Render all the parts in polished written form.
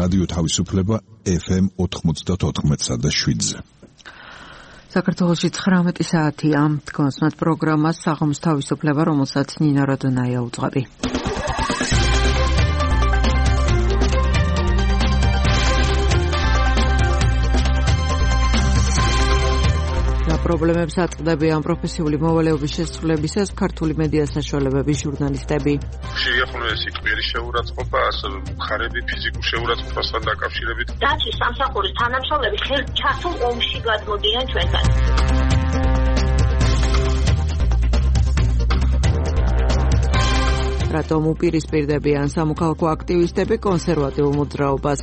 რადიო თავისუფლება FM 94.7-ზე. საქართველოში 19 საათია. კონსმათ პროგრამას საღამოს თავისუფლება, რომელსაც ნინო როდონაია უძღვები. პრობლემებს აწყდებიან პროფესიული მოვალეობის შესრულებისას ქართული მედია საშუალებების ჟურნალისტები. ხშირია ხოლმე ეს კვირის შეურაცხყოფა, ასევე მხარეები ფიზიკურ შეურაცხყოფასთან დაკავშირებით. დაცვის სამსახურის თანამშრომლები ხელჩართულ ომში გადმოდიან ჩვენთან. რატომ უპირისპირდებიან სამოქალაქო აქტივისტები კონსერვატიულ მოძრაობას?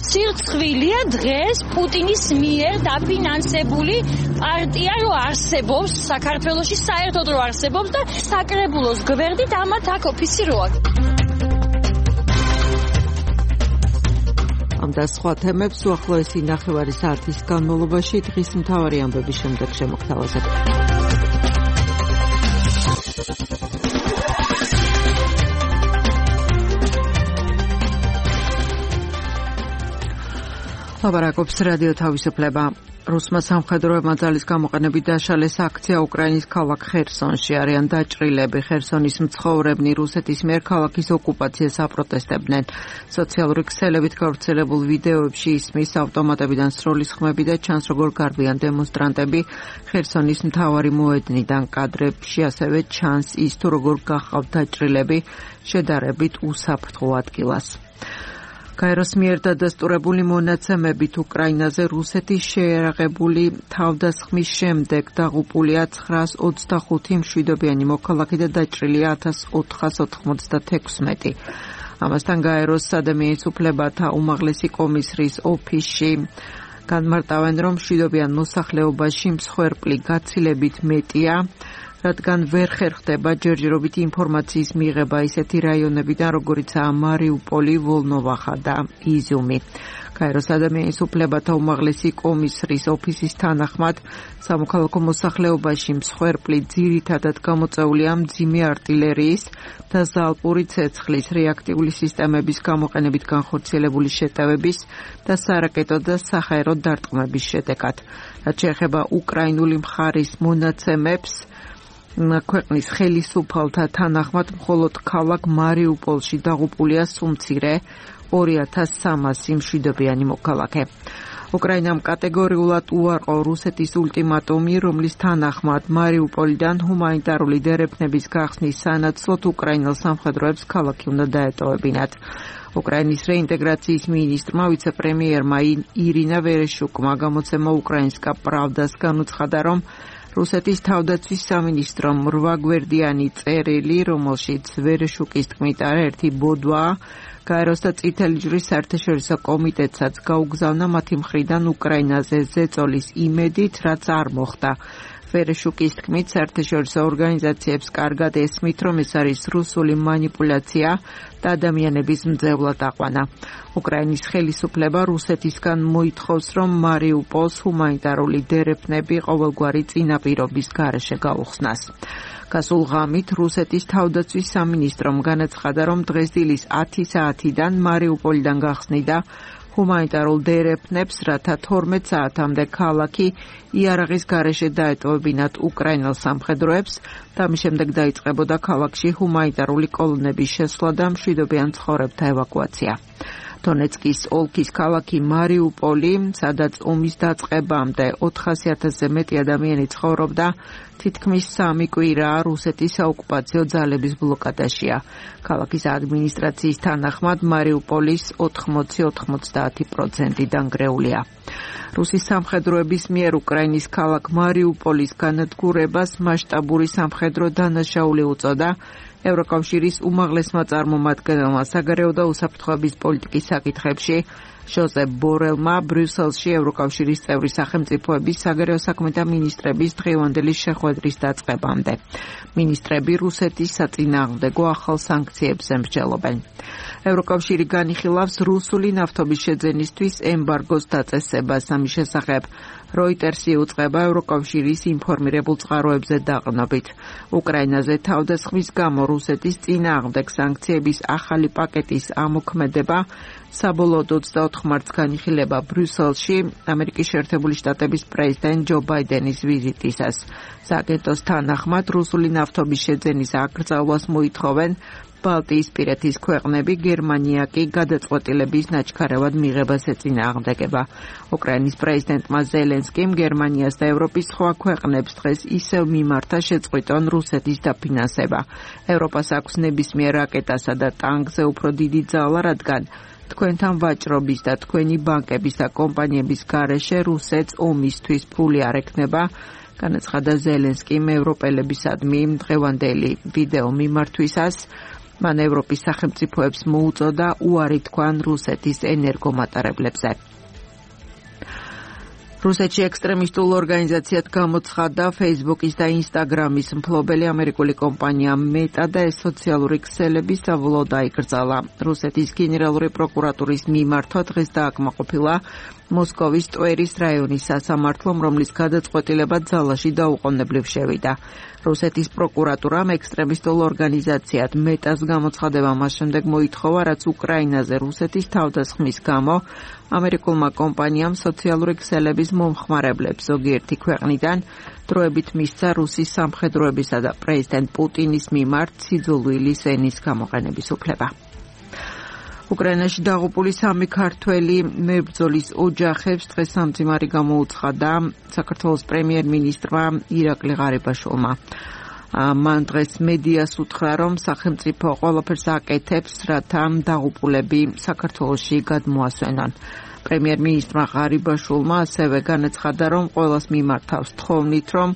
სირცხვილია დღეს პუტინის მიერ დაფინანსებული პარტია რო არსებობს საქართველოში, საერთოდ რო არსებობს და საკრებულოს გვერდით ამათ აქ ოფისი რო აქვს. ამ და სხვა თემებს უახლოესი ნახევარი საათის განმავლობაში დღის მთავარი ამბების შემდეგ შემოგთავაზებთ. ლაბარაკობს რადიო თავისუფლება. რუსმა სამხედროებმა ძალის გამოყენებით დაშალეს აქცია უკრაინის ქალაქ ხერსონში. არიან დაჭრილები. ხერსონის მცხოვრებნი რუსეთის მიერ ქალაქის ოკუპაციას აპროტესტებდნენ. სოციალური ქსელებით გავრცელებულ ვიდეოებში ისმის ავტომატებიდან სროლის ხმები და ჩანს როგორ გარბიან დემონსტრანტები ხერსონის მთავარი მოედნიდან. კადრებში ასევე ჩანს ის თუ როგორ გახავთ დაჭრილები შედარებით უსაფრთხო ადგილას. გაეროს მიერ დადასტურებული მონაცემებით უკრაინაზე რუსეთის შეერაღებული თავდასხმის შემდეგ დაღუპულია 925 მშვიდობიანი მოქალაქე და დაჭრილია 1496. ამასთან გაეროს ადამიანის უფლებათა უმაღლესი კომისრის ოფისში განმარტავენ, რომ მშვიდობიან მოსახლეობაში მსხვერპლი გაცილებით მეტია, რადგან ვერ ხერხდება ჯერჯერობით ინფორმაციის მიღება ისეთი რაიონებიდან, როგორიცაა მარიუპოლი, ვოლნოვახა და იზიუმი. გაეროს ადამიანის უფლებათა უმაღლესი კომისრის ოფისის თანახმად, სამოქალაქო მოსახლეობაში მსხვერპლი ძირითადად გამოწვეულია მძიმე არტილერიის და ზალპური ცეცხლის, რეაქტიული სისტემების გამოყენებით განხორციელებული შეტევების და სარაკეტო და საჰაერო დარტყმების შედეგად. რაც შეეხება უკრაინული მხარის მონაცემებს, ქვეყნის ხელისუფალთა თანახმად მხოლოდ ქალაქ მარიუპოლში დაღუპულია სუმცირე 2300 მშვიდობიანი მოქალაქე. უკრაინამ კატეგორიულად უარყო რუსეთის ულტიმატუმი, რომლის თანახმად მარიუპოლიდან ჰუმანიტარული დერეფნების გახსნის სანაცვლოდ უკრაინელ სამხედროებს ქალაქი უნდა დაეტოვებინათ. უკრაინის რეინტეგრაციის მინისტრმა ვიცე-პრემიერმა ირინა ვერეშუკმა გამოცემა უკრაინსკა პრავდას განუცხადა, რომ რუსეთის თავდაცვის სამინისტრომ 8 გვერდიანი წერილი, რომელშიც ვერეშუკის თქმით არაერთი ბოდვაა, გაეროს და წითელი ჯვრის საერთაშორისო კომიტეტსაც გაუგზავნა მათი მხრიდან უკრაინაზე ზეწოლის იმედით, რაც არ მოხდა. ვერეშუკის თქმით, საერთაშორისო ორგანიზაციებს კარგად ესმით, რომ ეს არის რუსული მანიპულაცია და ადამიანების მძევლად აყვანა. უკრაინის ხელისუფლება რუსეთისგან მოითხოვს, რომ მარიუპოლს ჰუმანიტარული დერეფნები ყოველგვარი წინაპირობის გარეშე გაუხსნას. გასულ ღამით რუსეთის თავდაცვის სამინისტრომ განაცხადა, რომ დღესდილის 10 საათიდან მარიუპოლიდან გახსნიდა ჰუმანიტარულ დერეფნებს, რათა 12 საათამდე ქალაქი იარაღის გარეშე დაეტოვებინათ უკრაინელ სამხედროებს და ამის შემდეგ დაიწყებოდა ქალაქში ჰუმანიტარული კოლონების შესვლა და მშვიდობიან ცხოვრებთა ევაკუაცია. დონეცკის ოლქის ქალაქი მარიუპოლი, სადაც ომის დაწყებამდე 400,000-ზე მეტი ადამიანი ცხოვრობდა, თითქმის 3 კვირა რუსეთის საოკუპაციო ძალების ბლოკადაშია. ქალაქის ადმინისტრაციის თანახმად მარიუპოლის 80-90% დანგრეულია. რუსის სამხედროების მიერ უკრაინის ქალაქ მარიუპოლის განადგურებას მასშტაბური სამხედრო დანაშაული უწოდა ევროკავშირის უმაღლესმა წარმომადგენელმა საგარეო და უსაფრთხოების პოლიტიკის საკითხებში ჟოზეფ ბორელმა ბრიუსელში ევროკავშირის წევრი სახელმწიფოების საგარეო საქმეთა მინისტრების დღევანდელი შეხვედრის დაწყებამდე. მინისტრები რუსეთის საწინააღმდეგო ახალ სანქციებს ემსჯელობენ. ევროკავშირი განიხილავს რუსული ნავთობის შეძენისთვის ემბარგოს დაწესებას. ამის შესახებ როიტერსი უწყება ევროკავშირის ინფორმირებულ წყაროებზე დაყრდნობით. უკრაინაზე თავდასხმის გამო რუსეთის წინააღმდეგ სანქციების ახალი პაკეტის ამოქმედება საბოლოოდ 24 მარტს განიხილება ბრიუსელში ამერიკის შეერთებული შტატების პრეზიდენტ ჯო ბაიდენის ვიზიტისას. სააგენტოს თანახმად რუსული ნავთობის შეძენის აკრძალვას მოითხოვენ ბალტიისპირეთის ქვეყნები, გერმანია კი გადაწყვეტილების ნაჩქარევად მიღებას ეწინააღმდეგება. უკრაინის პრეზიდენტმა ზელენსკიმ გერმანიას და ევროპის სხვა ქვეყნებს დღეს ისევ მიმართა შეწყვიტონ რუსეთის დაფინანსება. ევროპას აქვს ნებისმიერ რაკეტასა და ტანკზე უფრო დიდი ძალა, რადგან თქვენთან ვაჭრობის და თქვენი ბანკების და კომპანიების გარეშე რუსეთს ომისთვის ფული არ ექნება, განაცხადა ზელენსკიმ ევროპელებისადმი დღევანდელი ვიდეო მიმართვისას. მან ევროპის სახელმწიფოებს მოუწოდა უარი თქვან რუსეთის ენერგომატარებლებზე. რუსეთში ექსტრემისტულ ორგანიზაციად გამოცხადდა Facebook-ის და Instagram-ის მფლობელი ამერიკული კომპანია Meta და ეს სოციალური ქსელები საბოლოოდ დაიკრძალა. რუსეთის გენერალური პროკურატურის მიმართვა დღეს დააკმაყოფილა მოსკოვის ტვერის რაიონის სასამართლომ, რომლის გადაწყვეტილება ძალაში დაუყოვნებლივ შევიდა. რუსეთის პროკურატურამ ექსტრემისტულ ორგანიზაციად მეტას გამოცხადება მას შემდეგ მოითხოვა, რაც უკრაინაზე რუსეთის თავდასხმის გამო ამერიკულმა კომპანიამ სოციალური ქსელების მომხმარებლებს ზოგიერთი ქვეყნიდან დროებით მისცა რუსის სამხედროებისა და პრეზიდენტ პუტინის მიმართ სიძულვილის ენის გამოყენების უფლება. უკრაინაში დაღუპული 3 ქართველი მებრძოლის ოჯახებს დღეს სამძიმარი გამოუცხადა საქართველოს პრემიერ-მინისტრმა ირაკლი ღარიბაშვილმა. მან დღეს მედიას უთხრა, რომ სახელმწიფო ყველაფერს აკეთებს, რათა დაღუპულები საქართველოში გადმოასვენონ. პრემიერ-მინისტრმა ღარიბაშვილმა ასევე განაცხადა, რომ ყველას მიმართავს თხოვნით, რომ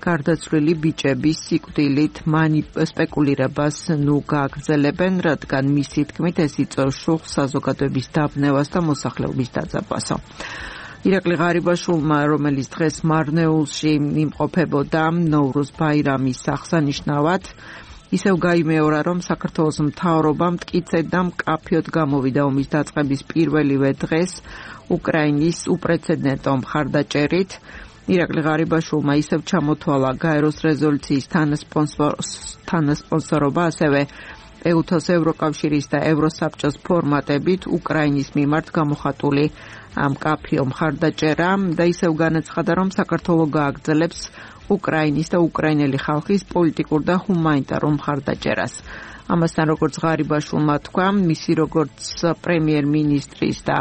გარდაცვლილი ბიჭების სიკვდილით სპეკულირებას გააგრძელებენ, რადგან მისი თქმით ეს იწვევს შუხს საზოგადოების დაბნევას და მოსახლეობის დაძაბვასო. ირაკლი ღარიბაშვილმა, რომელიც დღეს მარნეულში იმყოფებოდა ნოვრუზ ბაირამის აღსანიშნავად, ისევ გაიმეორა, რომ საქართველოს მთავრობა მტკიცედ და მკაფიოდ გამოვიდა ომის დაწყების პირველივე დღეს უკრაინის უპრეცედენტო მხარდაჭერით. ირაკლი ღარიბაშვილმა ისევ ჩამოთვალა გაეროს რეზოლუციის თანასპონსორობა, ასევე ეუთოს ევროკავშირის და ევროსაბჭოს ფორმატებით უკრაინის მიმართ გამოხატული მკაფიო მხარდაჭერა და ისევ განაცხადა, რომ საქართველო გააგრძელებს უკრაინის და უკრაინელი ხალხის პოლიტიკურ და ჰუმანიტარულ მხარდაჭერას. ამასთან, როგორც ღარიბაშვილმა თქვა, მისი როგორც პრემიერ-მინისტრის და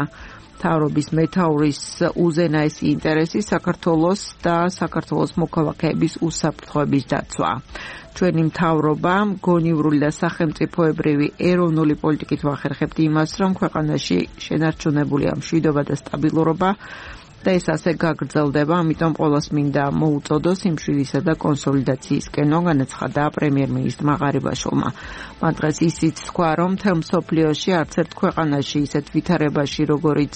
მთავრობის მეთაურის უზენაესი ინტერესი საქართველოს და საქართველოს მოქალაქეების უსაფრთხოების დაცვა. ჩვენი მთავრობა გონივრული და სახელმწიფოებრივი ეროვნული პოლიტიკით ვახერხებთ იმას, რომ ქვეყანაში შენარჩუნებულია მშვიდობა და სტაბილურობა და ეს ასე გაგრძელდება, ამიტომ ყველას მინდა მოუწოდოს სიმშვიდისა და კონსოლიდაციისკენ, განაცხადა პრემიერ-მინისტრმა ღარიბაშვილმა. მან დღეს ისიც თქვა, რომ მთელ მსოფლიოში არც ერთ ქვეყანაში ისეთ ვითარებაში, როგორიც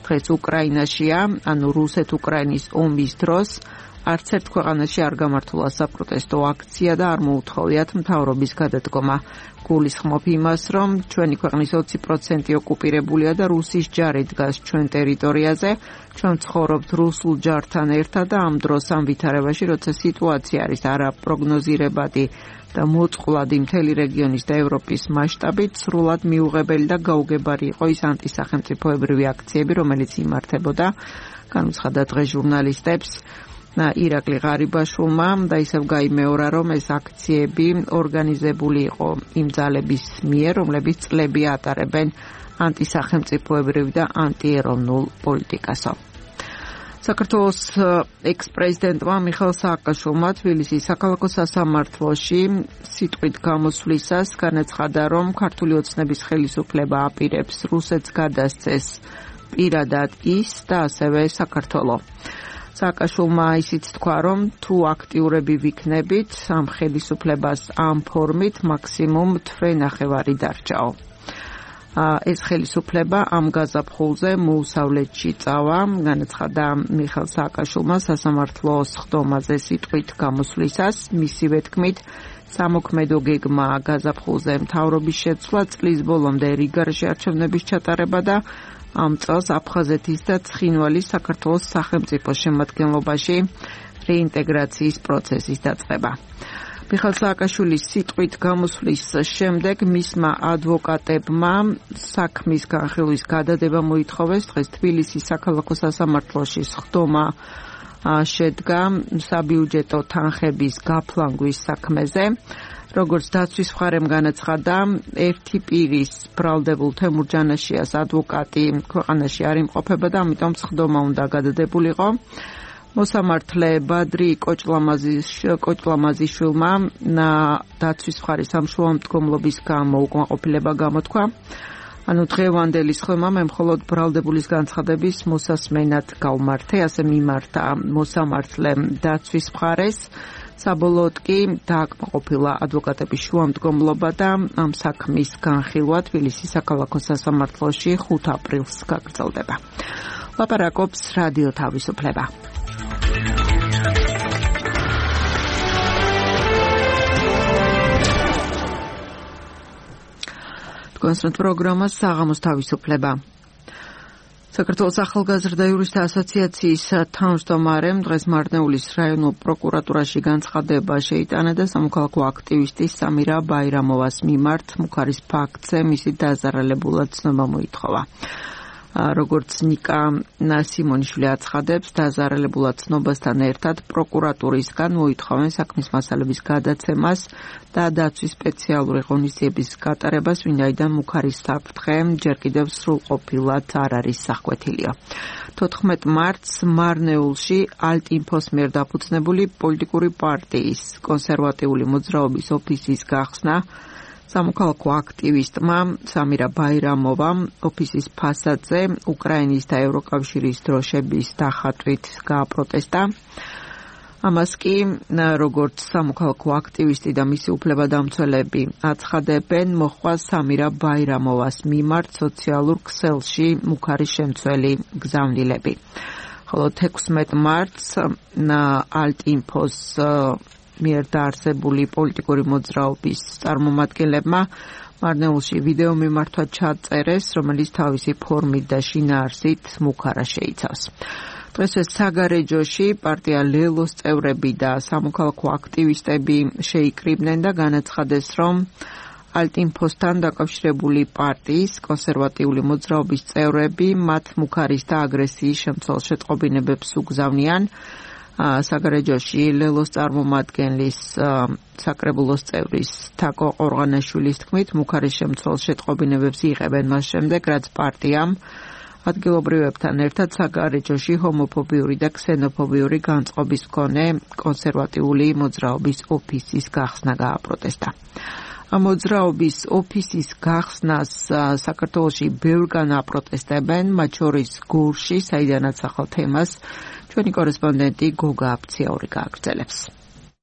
დღეს უკრაინაშია, ანუ რუსეთ-უკრაინის ომის დროს, არც ერთ ქვეყანაში არ გამართულა საპროტესტო აქცია და არ მოუთხოვიათ მთავრობის გადადგომა. გულისხმობ იმას, რომ ჩვენი ქვეყნის 20% ოკუპირებულია და რუსის ჯარი დგას ჩვენ ტერიტორიაზე. ჩვენ ცხოვრობთ რუსულ ჯართან ერთად და ამ დროს ამ ვითარებაში, როცა სიტუაცია არის არაპროგნოზირებადი და მოწყვლადი მთელი რეგიონის და ევროპის მასშტაბით, სრულად მიუღებელი და გაუგებარი იყო ის ანტისახელმწიფოებრივი აქციები, რომელიც იმართებოდა, განუცხადა დღეს ჟურნალისტებს ირაკლი ღარიბაშვილმა და ისევ გაიმეორა, რომ ეს აქციები ორგანიზებული იყო იმ ძალების მიერ, რომლებიც წლები ატარებენ ანტისახელმწიფოებრივ და ანტიეროვნულ პოლიტიკასო. საქართველოს ექს-პრეზიდენტმა მიხეილ სააკაშვილმა თბილისის საქალაქო სასამართლოში სიტყვით გამოსვლისას განაცხადა, რომ ქართული ოცნების ხელისუფლება აპირებს რუსეთს გადასცეს პირადად ის და ასევე საქართველო. სააკაშვილმა ისიც თქვა, რომ თუ აქტიურები ვიქნებით ამ ხელისუფლებას ამ ფორმით, მაქსიმუმ თვე-ნახევარი დარჩაო. ეს ხელისუფლება ამ გაზაფხულზე მოუსავლეთში წავა, განაცხადა მიხეილ სააკაშვილმა სასამართლო სხდომაზე სიტყვით გამოსვლისას, მისივე თქმით, სამოქმედო გეგმა გაზაფხულზე მთავრობის შეცვლა, წლის ბოლომდე რიგაში არჩევნების ჩატარება და ამ წელს აფხაზეთის და ცხინვალის საქართველოს სახელმწიფო შემადგენლობაში რეინტეგრაციის პროცესის დაწყება. მიხეილ სააკაშვილის სიტყვით გამოსვლის შემდეგ მისმა ადვოკატებმა საქმის განხილვის გადადება მოითხოვეს. დღეს თბილისის საქალაქო სასამართლოში სხდომა შედგა საბიუჯეტო თანხების გაფლანგვის საქმეზე. როგორც დაცვის მხარემ განაცხადა, ერთი პირის ბრალდებულ თემურ ჯანაშიას ადვოკატი ქვეყანაში არ იმყოფება და ამიტომ სხდომა უნდა გადადებულიყო. მოსამართლე ბადრი კოჭლამაზიშვილმა დაცვის მხარის სამშუალო მდგომლობის გამო უკმაყოფილება გამოთქვა. ანუ დღევანდელი სხდომა მე მხოლოდ ბრალდებულის განცხადების მოსასმენად გავმართე, ასე მიმართა მოსამართლემ დაცვის მხარეს. საბოლოოდ კი დააკმაყოფილა ადვოკატების შუამდგომლობა და ამ საქმის განხილვა თბილისის საქალაქო სასამართლოში 5 აპრილს გაგრძელდება. ლაპარაკობს რადიო თავისუფლება. კონსერტ პროგრამა საღამოს თავისუფლება. საქართველოს ახალგაზრდა იურისტთა ასოციაციის თავმჯდომარემ დღეს მარნეულის რაიონულ პროკურატურაში განცხადება შეიტანა და სამოქალაქო აქტივისტი სამირა ბაირამოვას მიმართ მუქარის ფაქტზე მისი დაზარალებულად ცნობა მოითხოვა. როგორც ნიკა ნასიმონიშვილი აცხადებს, დაზარალებულად ცნობასთან ერთად პროკურატურისგან მოითხოვენ საქმის მასალების გადაცემას და დაცვის სპეციალური ღონისძიების გატარებას, ვინაიდან მუქარის საფრთხე ჯერ კიდევ სრულყოფილად არ არის სახვეთილიო. 14 მარტს მარნეულში ალტინფოს მიერ დაფუძნებული პოლიტიკური პარტიის კონსერვატიული მოძრაობის ოფისის გახსნა სამოქალაქო აქტივისტმა სამირა ბაირამოვამ ოფისის ფასადზე უკრაინის და ევროკავშირის დროშების დახატვით გააპროტესტა. ამას კი როგორც სამოქალაქო აქტივისტი და მისი უფლებადამცველები აცხადებენ, მოჰყვა სამირა ბაირამოვას მიმართ სოციალურ ქსელში მუქარის შემცველი გზავნილები. ხოლო 16 მარტს ალტინფოს მიერ დაარსებული პოლიტიკური მოძრაობის წარმომადგენლებმა მარნეულში ვიდეო მიმართვა ჩაწერეს, რომელიც თავისი ფორმით და შინაარსით მუქარა შეიცავს. დღეს საგარეჯოში პარტია ლელოს წევრები და სამოქალაქო აქტივისტები შეიკრიბნენ და განაცხადეს, რომ ალტინფოსთან დაკავშირებული პარტიის კონსერვატიული მოძრაობის წევრები მათ მუქარის და აგრესიის შემცველ შეტყობინებებს უგზავნიან. საგარეჯოში ლელოს წარმომადგენლის საკრებულოს წევრის თაკო ყორღანაშვილის თქმით, მუქარის შემცველ შეტყობინებებს იღებენ მას შემდეგ, რაც პარტიამ ადგილობრივებთან ერთად საგარეჯოში ჰომოფობიური და ქსენოფობიური განწყობის მქონე კონსერვატიული მოძრაობის ოფისის გახსნა გააპროტესტა. მოძრაობის ოფისის გახსნას საქართველოში ბევრგან აპროტესტებენ, მათ შორის გურში, საიდანაც ახალ თემას ჩვენი კორესპონდენტი გოგა აფციაური გააგრძელებს.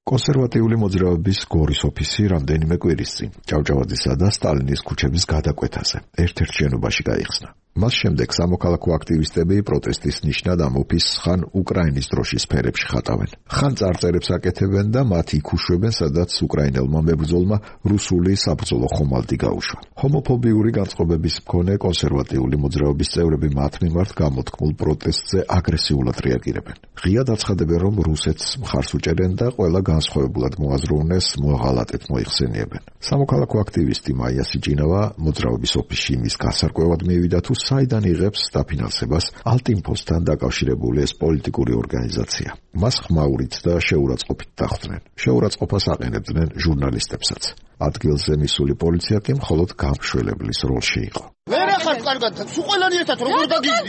კონსერვატიული მოძრაობის გორის ოფისი რამდენიმე კვირის წინ ჭავჭავაძისა და სტალინის ქუჩების გადაკვეთაზე ერთ-ერთ შენობაში გაიხსნა. მას შემდეგ სამოქალაქო აქტივისტები პროტესტის ნიშნად ამ ოფისს ხან უკრაინის დროშის ფერებში ხატავენ, ხან წარწერებს აკეთებენ და მათ იქ უშვებენ, სადაც უკრაინელმა მებრძოლმა რუსული საბრძოლო ხომალდი გაუშვა. ჰომოფობიური განწყობების მქონე კონსერვატიული მოძრაობის წევრები მათ მიმართ გამოთქმულ პროტესტზე აგრესიულად რეაგირებენ. ღიად აცხადებენ, რომ რუსეთს მხარს უჭერენ და ყველა განსხვავებულად მოაზროვნეს მოაღალატეთ მოიხსენიებენ. სამოქალაქო აქტივისტი მაია სიჯინავა მოძრაობის ოფისში იმის გასარკვევად მივიდა, თუ საიდან იღებს დაფინანსებას ალტინფოსთან დაკავშირებული ეს პოლიტიკური ორგანიზაცია. მას ხმაურით და შეურაცხყოფით დახვდნენ. შეურაცხყოფას აყენებდნენ ჟურნალისტებსაც. ადგილზე მისული პოლიცია კი მხოლოდ გამშველებლის როლში იყო. ვერ ახართ კარგად, სულ ყველანი ერთად როგორ დაგიძვით?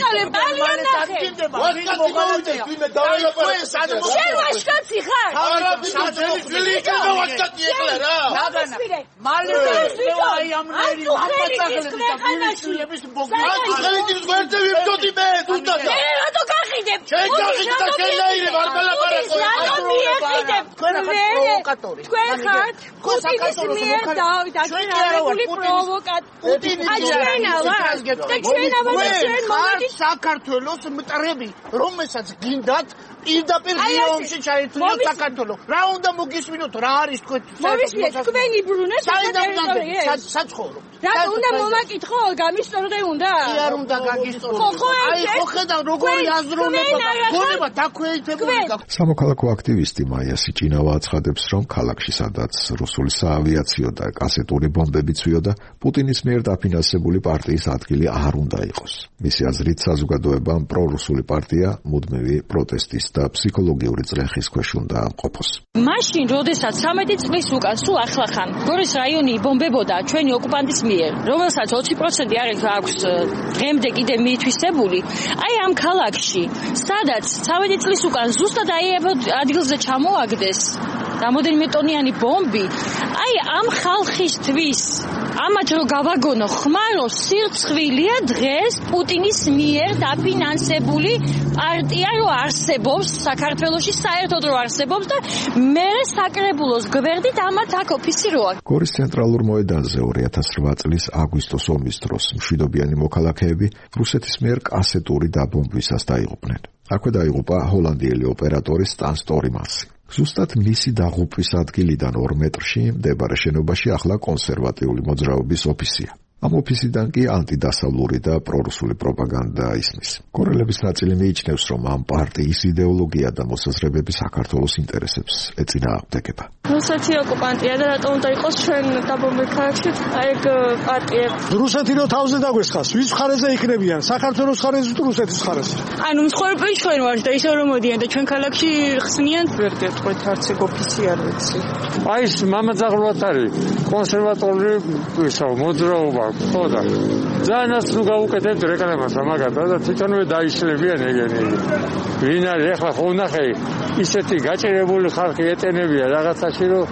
შენ ვაშკაცი ხარ? ძველი იქნება ვაშკაცი ეხლა რა. მალე აი ამნერი მამაცაღლების და ბუნებისმოგვიანების ბოგნაძე ვიმდოდი მე თუნდაც. რატო გახი მიეყიდებ? თქვენ ხართ პუტინის მიერ დაქირავებული პროვოკატორი. აჩვენა ვარ და ჩვენა ვარ ჩვენ მომენტი საქართველოს მტრები, რომელსაც გინდათ პირდაპირ გიომში ჩაერთვიოთ საქართველო. რა უნდა მოგისმინოთ, რა არის თქვენ? მოვისმინეთ თქვენი ბრუნვა საერთოდ საცხოვრობ. რა უნდა მომაკითხო, გამისტორდე უნდა? არ უნდა გაგისტორდე. აი ხო ხედავ როგორი აზროვნება, გონება დაქვეითებული. სამოქალაქო აქტივისტი მაია სიჭინავა აცხადებს, რომ ქალაქში სადაც რუსული საავიაციო და კასეტური ბომბები ცვიოდა, პუტინის მიერ დაფინანსებული პარტიის ადგილი არ უნდა იყოს. მისი აზრით საზოგადოებამ პრორუსული პარტია მუდმივი პროტესტის და ფსიქოლოგიური წრეხის ქვეშ უნდა ყოფოს. მაშინ, როდესაც 13 წლის უკან სულ ახლახან გორის რაიონი იბომბებოდა ჩვენი ოკუპანტის მიერ, რომელსაც 20% აქვს დღემდე კიდე მიითვისებული, აი ამ ქალაქში, სადაც 13 წლის უკან ზუსტად აი ადგილზე ჩამოაგდეს რამოდენიმე ტონიანი ბომბი, აი ამ ხალხისთვის ამათ რო გავაგონო ხმარო სირცხვილია დღეს პუტინის მიერ დაფინანსებული პარტია რო არსებობს საქართველოში, საერთოდ რო არსებობს და მე საკრებულოს გვერდით ამათ აქ ოფისი რო აქვს. გორის ცენტრალურ მოედანზე 2008 წლის აგვისტოს ომის დროს მშვიდობიანი მოქალაქეები რუსეთის მიერ კასეტური დაბომბვისას დაიღუპნენ. აქვე დაიღუპა ჰოლანდიელი ოპერატორი სტან სტორმასი. ზუსტად მისი დაღუპვის ადგილიდან 2 მეტრში მდებარე შენობაში ახლა კონსერვატიული მოძრაობის ოფისია. ამ ოფისიდან კი ანტიდასავლური და პრორუსული პროპაგანდა ისმის. კორელების ნაწილი მიიჩნევს, რომ ამ პარტიის იდეოლოგია და მოსაზრებები საქართველოს ინტერესებს ეწინააღმდეგება. რუსეთი ოკუპანტია და რატომ უნდა იყოს ჩვენ დაბომბე ქალაქში ეგ პარტიები? რუსეთი რო თავზე დაგვესხას, ვის მხარეზე იქნებიან? საქართველოს მხარეზე თუ რუსეთის მხარეზე? ანუ მსხვერპლი ჩვენ ვართ და ისე რომ მოდიან და ჩვენ ქალაქში ხსნიან. ვერ გეტყვით არც ეგ ოფისი არ ვიცი. აი ეს მამაძაღლად არის კონსერვატორული მოძრაობა. ხო და ძალიანაც ნუ გავუკეთებთ რეკლამას ამაგათა და თვითონვე დაიშლებიან ეგენი. ვინ არის ახლა ხო ნახე ისეთი გაჭირებული ხალხი ეტენებია რაღაცაში რომ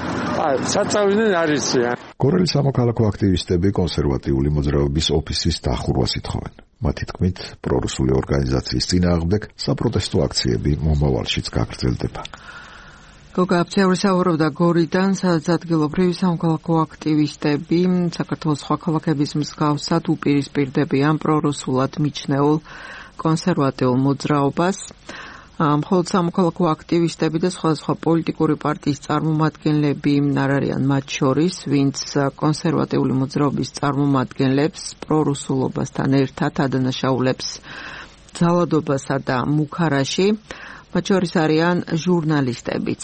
საწავდნენ არიციან. კორელის სამოქალაქო აქტივისტები კონსერვატიული მოძრაობის ოფისის დახურვას ითხოვენ. მათი თქმით, პრორუსული ორგანიზაციის წინააღმდეგ საპროტესტო აქციები მომავალშიც გაგრძელდება. გოგა აფცევრი საუბრობდა გორიდან, სადაც ადგილობრივი სამოქალაქო აქტივისტები საქართველოს სხვა ქალაქების მსგავსად უპირისპირდებიან პრორუსულად მიჩნეულ კონსერვატიულ მოძრაობას. მხოლოდ სამოქალაქო აქტივისტები და სხვადასხვა პოლიტიკური პარტიის წარმომადგენლები არ არიან მათ შორის, ვინც კონსერვატიული მოძრაობის წარმომადგენლებს პრორუსულობასთან ერთად ადანაშაულებს ძალადობასა და მუქარაში. მათ შორის არიან ჟურნალისტებიც.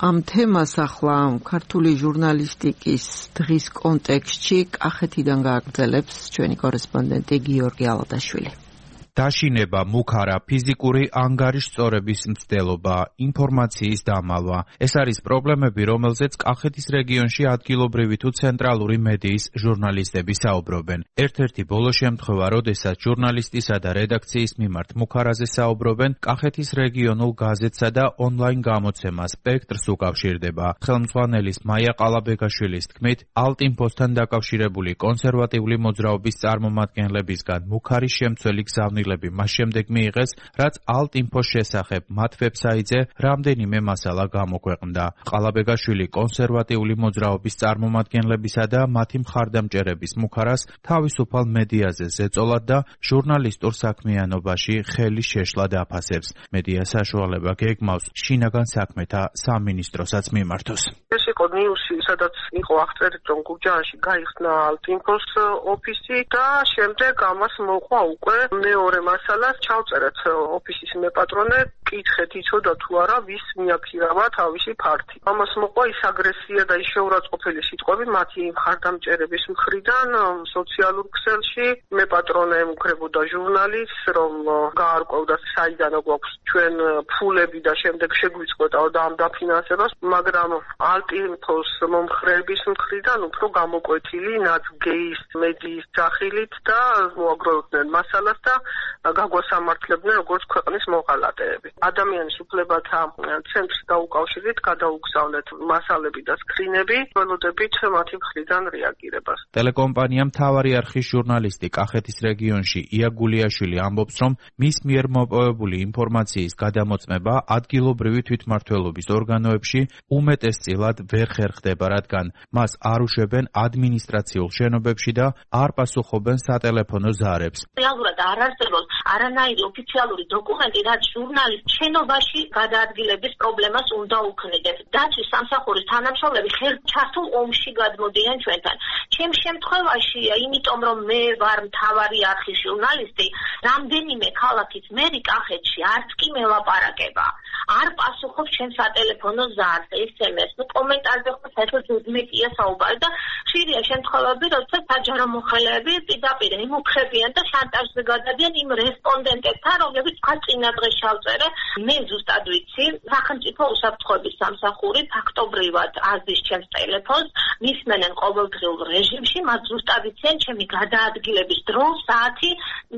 ამ თემას ახლა ქართული ჟურნალისტიკის დღის კონტექსტში კახეთიდან გააგრძელებს ჩვენი კორესპონდენტი გიორგი ალადაშვილი. დაშინება, მუქარა, ფიზიკური ანგარიშწორების მცდელობა, ინფორმაციის დამალვა. ეს არის პრობლემები, რომელზეც კახეთის რეგიონში ადგილობრივი თუ ცენტრალური მედიის ჟურნალისტები საუბრობენ. ერთ-ერთი ბოლო შემთხვევა, როდესაც ჟურნალისტისა და რედაქციის მიმართ მუქარაზე საუბრობენ, კახეთის რეგიონულ გაზეთსა და ონლაინ გამოცემა სპექტრს უკავშირდება. ხელმძღვანელის მაია ყალაბეგაშვილის თქმით, ალტინფოსთან დაკავშირებული კონსერვატიული მოძრაობის წარმომადგენლებისგან მუქარის შემცველი გზავნილები მას შემდეგ მიიღეს, რაც ალტინფოს შესახებ მათ ვებსაიტზე რამდენიმე მასალა გამოქვეყნდა. ყალაბეგაშვილი კონსერვატიული მოძრაობის წარმომადგენლებისა და მათი მხარდამჭერების მუქარას თავისუფალ მედიაზე ზეწოლად და ჟურნალისტურ საქმიანობაში ხელის შეშლად აფასებს. მედია საშუალება გეგმავს შინაგან საქმეთა სამინისტროსაც მიმართოს. ეს იყო ნიუსი, სადაც იყო აღწერილი, რომ გურჯაანში გაიხსნა ალტინფოს ოფისი და შემდეგ ამას მოყვა უკვე მეორე მასალას ჩავწერეთ ოფისის მეპატრონე, კითხეთ იცოდა თუ არა ვის მიაქირავა თავისი ფართი. ამას მოყვა ის აგრესია და ის შეურაცხყოფელი სიტყვები მათი მხარდამჭერების მხრიდან სოციალურ ქსელში. მეპატრონე ემუქრებოდა ჟურნალისტს, რომ გაარკვევდა საიდან გვაქვს ჩვენ ფულები და შემდეგ შეგვიწყვეტაო და ამ დაფინანსებას, მაგრამ ალტინფოს მომხრეების მხრიდან უფრო გამოკვეთილი ნაცგეის მედიის სახილით და მოაგროვებდნენ მასალას და გაგვასამართლებდნენ როგორც ქვეყნის მოღალატეები. ადამიანის უფლებათა ცენტრს დაუკავშირდით, გადაუგზავნეთ მასალები და სკრინები, ველოდებით მათი მხრიდან რეაგირებას. ტელეკომპანია მთავარი არხის ჟურნალისტი კახეთის რეგიონში ია გულიაშვილი ამბობს, რომ მის მიერ მოპოვებული ინფორმაციის გადამოწმება ადგილობრივი თვითმმართველობის ორგანოებში უმეტესწილად ვერ ხერხდება, რადგან მას არ უშვებენ ადმინისტრაციულ შენობებში და არ პასუხობენ სატელეფონო ზარებს. რეალურად არ არსებობს არანაირი ოფიციალური დოკუმენტი, რაც ჟურნალისტ შენობაში გადაადგილების პრობლემას უნდა უქმნიდეს. დაცვის სამსახურის თანამშრომლები ჩართულ ომში გადმოდიან ჩვენთან. ჩემ შემთხვევაში, იმიტომ რომ მე ვარ მთავარი არხის ჟურნალისტი, რამდენიმე ქალაქის მერი კახეთში არც კი მელაპარაკება. არ პასუხობს ჩემ სატელეფონო ზარს, SMS, კომენტარზე ხო საერთოდ უდმეტია საუბარი და ხშირია შემთხვევები, როდესაც საჯარო მოხელეები პირდაპირ ემუქრებიან და შანტაჟზე გადადიან იმ რესპონდენტებთან, რომლებიც თქვა წინა დღეს ჩავწერე. მე ზუსტად ვიცი, სახელმწიფო უსაფრთხოების სამსახური ფაქტობრივად აზის ჩემს ტელეფონს, მისმენენ ყოველდღიურ რეჟიმში, მათ ზუსტად იციან ჩემი გადაადგილების დრო, საათი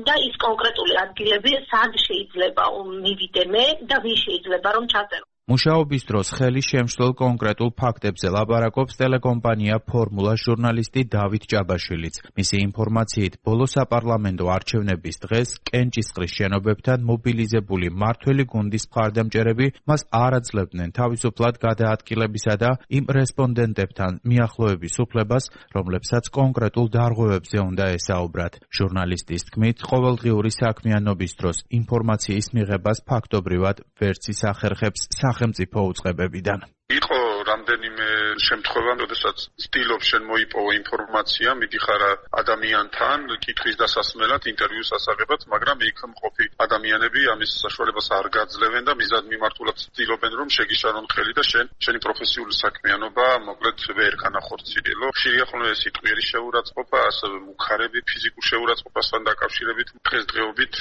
და ის კონკრეტული ადგილები, სად შეიძლება მივიდე მე და ვინ შეიძლება რომ ჩაწერო. მუშაობის დროს ხელი შემშლელ კონკრეტულ ფაქტებზე ლაპარაკობს ტელეკომპანია ფორმულა ჟურნალისტი დავით ჭაბაშვილიც. მისი ინფორმაციით, ბოლო საპარლამენტო არჩევნების დღეს კენჭისყრის შენობებთან მობილიზებული მმართველი გუნდის მხარდამჭერები მას არ აძლევდნენ თავისუფლად გადაადგილებისა და იმ რესპონდენტებთან მიახლოების უფლებას, რომლებსაც კონკრეტულ დარღვევებზე უნდა ესაუბრათ. ჟურნალისტის თქმით, ყოველდღიური საქმიანობის დროს ინფორმაციის მიღებას ფაქტობრივად ვერც ის ახერხებს სახელმწიფო უწყებებიდან. იყო რამდენიმე შემთხვევა, როდესაც ცდილობს შენ მოიპოვო ინფორმაცია, მიდიხარ ადამიანთან, კითხვის დასასმელად, ინტერვიუს ასაღებად, მაგრამ იქ მყოფი ადამიანები ამის საშუალებას არ გაძლევენ და მიზად მიმართულად ცდილობენ, რომ შეგიშალონ ხელი და შენი პროფესიული საქმიანობა მოკლედ ვერ განახორციელო. ხშირია ხოლმე ეს იტყვიერი შეურაცხყოფა, ასევე მუქარები, ფიზიკურ შეურაცხყოფასთან დაკავშირებით, დღესდღეობით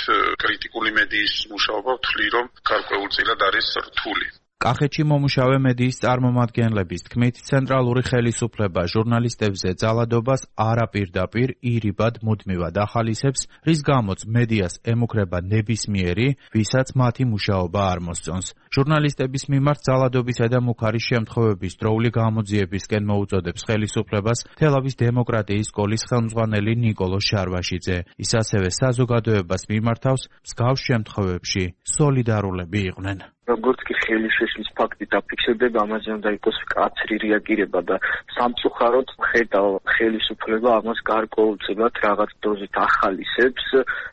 კრიტიკული მედიის მუშაობა ვთვლი, რომ გარკვეულწილად არის რთული. კახეთში მომუშავე მედიის წარმომადგენლების თქმით, ცენტრალური ხელისუფლება ჟურნალისტებზე ძალადობას არაპირდაპირ ირიბად მუდმივად ახალისებს, რის გამოც მედიას ემუქრება ნებისმიერი, ვისაც მათი მუშაობა არ მოსწონს. ჟურნალისტების მიმართ ძალადობისა და მუქარის შემთხვევების დროული გამოძიებისკენ მოუწოდებს ხელისუფლებას თელავის დემოკრატიის სკოლის ხელმძღვანელი ნიკოლო შარვაშიძე. ის ასევე საზოგადოებას მიმართავს მსგავს შემთხვევებში სოლიდარულები იყვნენ. როგორც კი ხელისშეშლის ფაქტი დაფიქსირდება, ამაზე უნდა იყოს მკაცრი რეაგირება და სამწუხაროდ ხედავ ხელისუფლება ამას გარკვეულწილად რაღაც დოზით ახალისებს,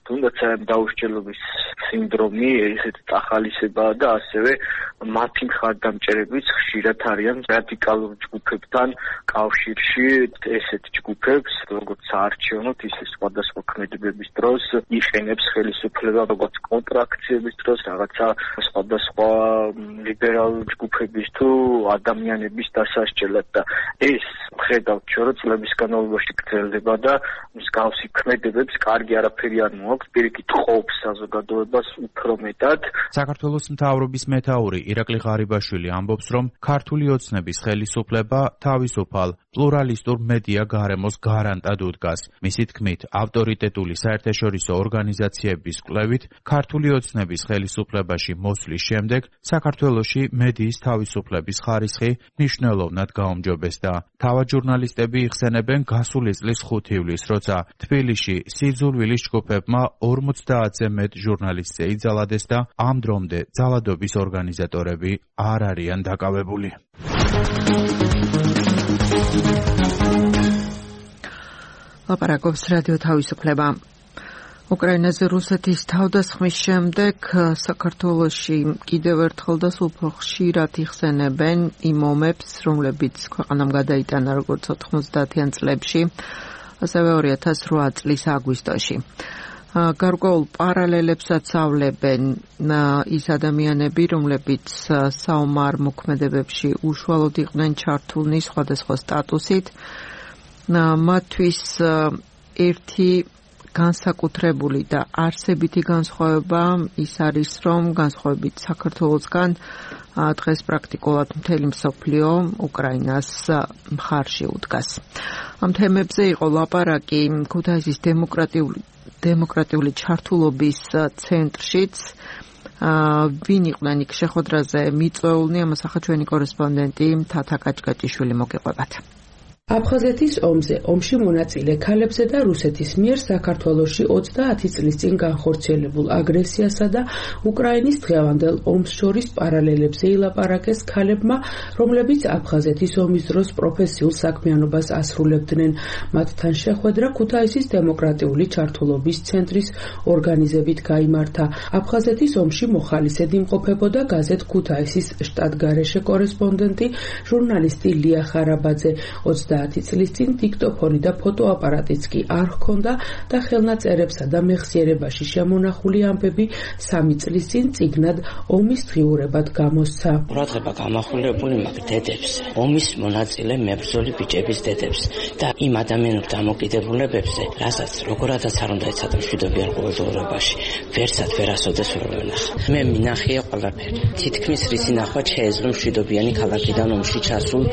თუნდაც ამ დაუსჯელობის სინდრომი ესეთი ახალისებაა და ასევე მათი მხარდამჭერებიც ხშირად არიან რადიკალურ ჯგუფებთან კავშირში. ესეთ ჯგუფებს, როგორც საარჩევნო, ისე სხვადასხვა ქმედებების დროს იყენებს ხელისუფლება, როგორც კონტრაქციების დროს, რაღაცა სხვადასხვა ლიბერალ ჯგუფების თუ ადამიანების დასასჯელად და ეს ხედავთ ჩვენ რომ წლების განმავლობაში გრძელდება და მსგავსი ქმედებებს კარგი არაფერი არ მოაქვს, პირიქით ყოფს საზოგადოებას უფრო მეტად. საქართველოს მთავრობის მეთაური ირაკლი ღარიბაშვილი ამბობს, რომ ქართული ოცნების ხელისუფლება თავისუფალ პლურალისტურ მედია გარემოს გარანტად უდგას. მისი თქმით, ავტორიტეტული საერთაშორისო ორგანიზაციების კვლევით, ქართული ოცნების ხელისუფლებაში მოსვლის შემდეგ საქართველოში მედიის თავისუფლების ხარისხი მნიშვნელოვნად გაუმჯობესდა. თავად ჟურნალისტები იხსენებენ გასული წლის 5 ივლისს, როცა თბილისში სიძულვილის ჯგუფებმა 50-ზე მეტ ჟურნალისტზე იძალადეს და ამ დრომდე ძალადობის ორგანიზატორები არ არიან დაკავებული. ლაპარაკობს რადიო თავისუფლება. უკრაინაზე რუსეთის თავდასხმის შემდეგ საქართველოში კიდევ ერთხელ და სულ უფრო ხშირად იხსენებენ იმ ომებს, რომლებიც ქვეყანამ გადაიტანა როგორც 90-იან წლებში, ასევე 2008 წლის აგვისტოში. გარკვეულ პარალელებსაც ავლებენ ის ადამიანები, რომლებიც საომარ მოქმედებებში უშუალოდ იყვნენ ჩართულნი სხვადასხვა სტატუსით. მათთვის ერთი განსაკუთრებული და არსებითი განსხვავება ის არის, რომ განსხვავებით საქართველოსგან დღეს პრაქტიკულად მთელი მსოფლიო უკრაინას მხარში უდგას. ამ თემებზე იყო ლაპარაკი ქუთაისის დემოკრატიული ჩართულობის ცენტრშიც, ვინ იყვნენ იქ შეხვედრაზე მიწვეულნი, ამას ახლა ჩვენი კორესპონდენტი თათა კაჭკაჭიშვილი მოგეყვებათ. აფხაზეთის ომში მონაწილე ქალებზე და რუსეთის მიერ საქართველოში 30 წლის წინ განხორციელებულ აგრესიასა და უკრაინის დღევანდელ ომს შორის პარალელებზე ილაპარაკეს ქალებმა, რომლებიც აფხაზეთის ომის დროს პროფესიულ საქმიანობას ასრულებდნენ. მათთან შეხვედრა ქუთაისის დემოკრატიული ჩართულობის ცენტრის ორგანიზებით გაიმართა. აფხაზეთის ომში მოხალისედ იმყოფებოდა გაზეთ ქუთაისის შტატგარეშე კორესპონდენტი, ჟურნალისტი ლია ხარაბაძე. 30 წლის წინ დიქტოფონი და ფოტოაპარატიც კი არ ჰქონდა და ხელნაწერებსა და მეხსიერებაში შემონახული ამბები 3 წლის წინ წიგნად ომის დღიურებად გამოსცა. ყურადღება გამახვილებული მაქვს დედებს, ომის მონაწილე მებრძოლი ბიჭების დედებს და იმ ადამიანურ დამოკიდებულებებზე, რასაც როგორადაც არ უნდა ეცადა მშვიდობიან ყოველდღიურობაში, ვერსად ვერასოდეს ვერ ვენახა. მე მინახია ყველაფერი. თითქმის რისი ნახვა შეეძლო მშვიდობიანი ქალაქიდან ომში ჩასულ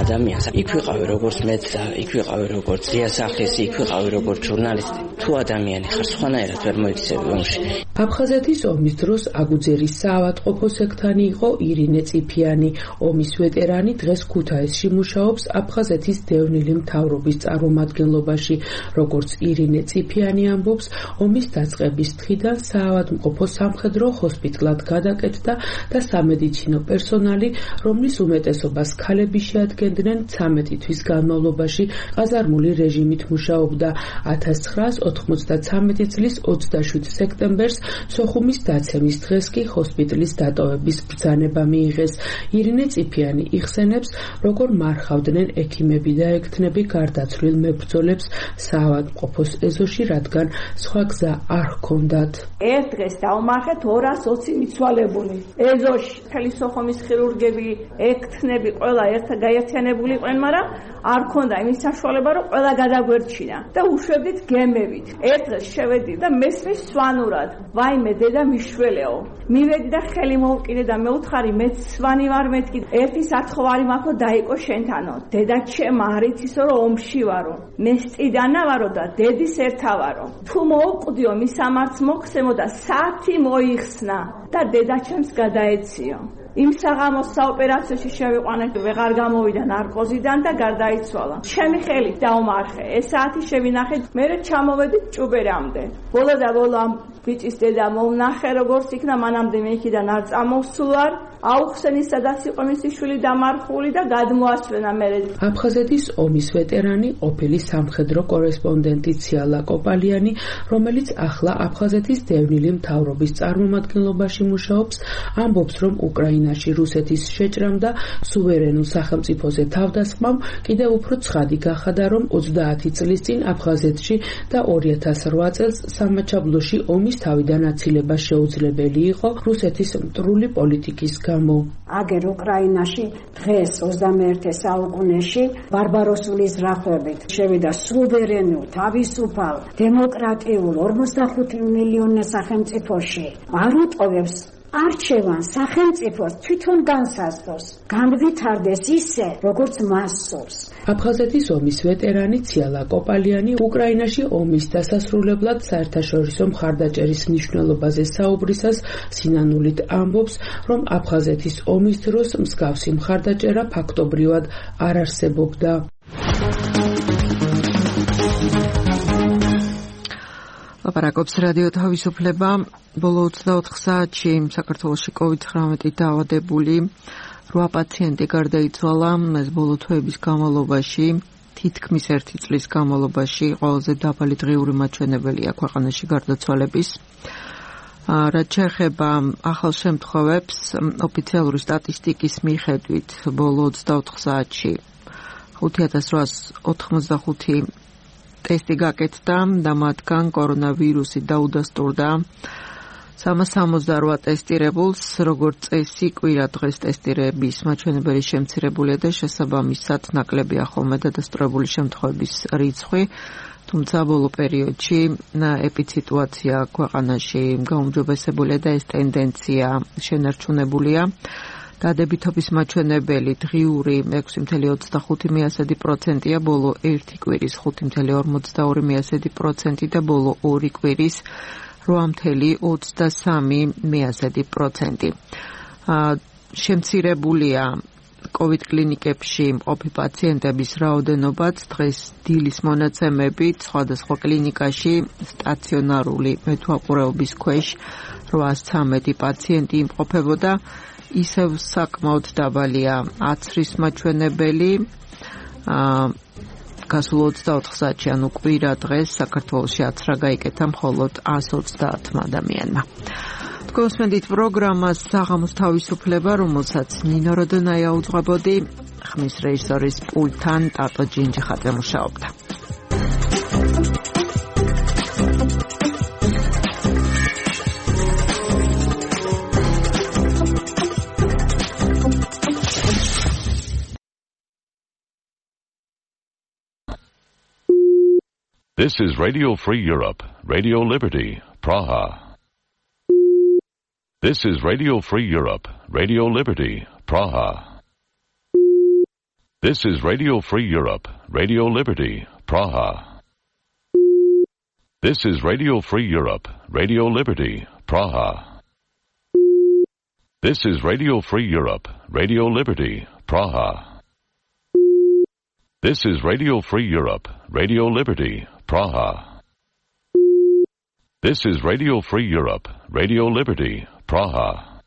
ადამიანს. იქ ვიყავი როგორც მეცდა, იქ ვიყავი როგორც ძიასახლისი, იქ ვიყავი როგორც ჟურნალისტი. თუ ადამიანი ხარ, სხვანაირად ვერ მოიქცევი ომში. აფხაზეთის ომის დროს აგუძერის საავადმყოფო სექტანი იყო ირინე წიფიანი. ომის ვეტერანი დღეს ქუთაისში მუშაობს აფხაზეთის დევნილი მთავრობის წარმომადგენლობაში. როგორც ირინე წიფიანი ამბობს, ომის დაწყების დღიდან საავადმყოფო სამხედრო ჰოსპიტალად გადაკეთდა და სამედიცინო პერსონალი, რომლის უმეტესობას ქალები შეადგენდნენ, 13 თვის განმავლობაში ყაზარმული რეჟიმით მუშაობდა. 1993 წლის 27 სექტემბერს სოხუმის დაცემის დღეს კი ჰოსპიტალის დატოვების ბრძანება მიიღეს. ირინე წიფიანი იხსენებს, როგორ მარხავდნენ ექიმები და ექთნები გარდაცვლილ მებრძოლებს საავადმყოფოს ეზოში, რადგან სხვა გზა არ ჰქონდათ. ერთ დღეს დავმარხეთ 220 მიცვალებული. ეზოში მთელი სოხუმის ხირურგები, ექთნები ყველა გაერთიანებული იყვნენ, მაგრამ არ ქონდა იმის საშუალება, რომ ყველა გადაგვერჩინა და უშვებდით გემებით. ერთ დღეს შევედი და მესმის სვანურად, ვაიმე დედა მიშველეო. მივედი და ხელი მოვკიდე და მეუთხარი, მე სვანი ვარ მეთქი. ერთი სათხოვარი მაქვს, დაიყო შენთანო. დედა ჩემ არ იცისო, რომ ომში ვარო. მე სტიდანა ვარო და დედის ერთა ვარო. თუ მოუკვდიო, მის სამარც მოხსემო და საათი მოიხსნა და დედა ჩემს გადაეციო. იმ საღამოს საოპერაციოში შევიყვანეთ, ვეღარ გამოვიდა ნარკოზიდან და გარდაიცვალა. ჩემი ხელით დავმარხე. ეს საათი შევინახეთ, მე ჩამოვედით ჭუბერამდე. ბოლო და ბოლო ამ ბიჭის დედა მომნახე, როგორც იქნა, მანამდე მე იქიდან არ წამოვსულვარ. აუხსენი სადაც იყო მისი შვილი დამარხული და გადმოასვენა მე. აფხაზეთის ომის ვეტერანი, ყოფილი სამხედრო კორესპონდენტი ციალა კოპალიანი, რომელიც ახლა აფხაზეთის დევნილი მთავრობის წარმომადგენლობაში მუშაობს, ამბობს, რომ უკრაინაში რუსეთის შეჭრამ და სუვერენულ სახელმწიფოზე თავდასხმამ კიდევ უფრო ცხადი გახადა, რომ 30 წლის წინ აფხაზეთში და 2008 წელს სამაჩაბლოში ომის თავიდან აცილება შეუძლებელი იყო რუსეთის მტრული პოლიტიკის გამო. აგერ უკრაინაში დღეს 21 საუკუნეში ბარბაროსული ზრახვებით შევიდა სუვერენულ, თავისუფალ, დემოკრატიულ 45 მილიონი სახელმწიფოში. არ უტოვებს არჩევან სახელმწიფოს თვითონ განსაზღვროს, განვითარდეს ისე, როგორც მას სურს. აფხაზეთის ომის ვეტერანი ციალა კოპალიანი უკრაინაში ომის დასასრულებლად საერთაშორისო მხარდაჭერის მნიშვნელობაზე საუბრისას სინანულით ამბობს, რომ აფხაზეთის ომის დროს მსგავსი მხარდაჭერა ფაქტობრივად არ არსებობდა. ლაპარაკობს რადიო თავისუფლება. ბოლო 24 საათში საქართველოში COVID-19 დაავადებული 8 პაციენტი გარდაიცვალა. ეს ბოლო თვეების განმავლობაში, თითქმის 1 წლის განმავლობაში ყველაზე დაბალი დღიური მაჩვენებელია ქვეყანაში გარდაცვალების. რაც შეეხება ახალ შემთხვევებს, ოფიციალური სტატისტიკის მიხედვით ბოლო 24 საათში 5885 ტესტი გაკეთდა და მათგან კორონავირუსი დაუდასტურდა 368 ტესტირებულს, როგორც წესი, კვირა დღეს ტესტირების მაჩვენებელი შემცირებულია და შესაბამისად ნაკლებია ხოლმე დადასტურებული შემთხვევების რიცხვი, თუმცა ბოლო პერიოდში ეპიდემიაცია ქვეყანაში გაუმჯობესებულია და ეს ტენდენცია შენარჩუნებულია. დადებითობის მაჩვენებელი დღიური 6.25%-ია, ბოლო 1 კვირის 5.42% და ბოლო 2 კვირის 8.23%. შემცირებულია COVID კლინიკებში მყოფი პაციენტების რაოდენობაც დღეს დილის მონაცემებით სხვადასხვა კლინიკაში სტაციონარული მეთვალყურეობის ქვეშ 813 პაციენტი იმყოფებოდა. ისევ საკმაოდ დაბალია აცრის მაჩვენებელი. გასულ 24 საათში, ანუ კვირა დღეს საქართველოში აცრა გაიკეთა მხოლოდ 130 ადამიანმა. გოსმენდით პროგრამას საღამოს თავისუფლება, რომელსაც ნინო როდონაია უძღვებოდი, ხმის რეჟისორის პულტთან ტატო ჯინჯიხაძე მუშაობდა. This is Radio Free Europe, Radio Liberty, Praha. This is Radio Free Europe, Radio Liberty, Praha. This is Radio Free Europe, Radio Liberty, Praha. This is Radio Free Europe, Radio Liberty, Praha. This is Radio Free Europe, Radio Liberty, Praha. This is Radio Free Europe, Radio Liberty, Praha. This is Radio Free Europe, Radio Liberty, Praha.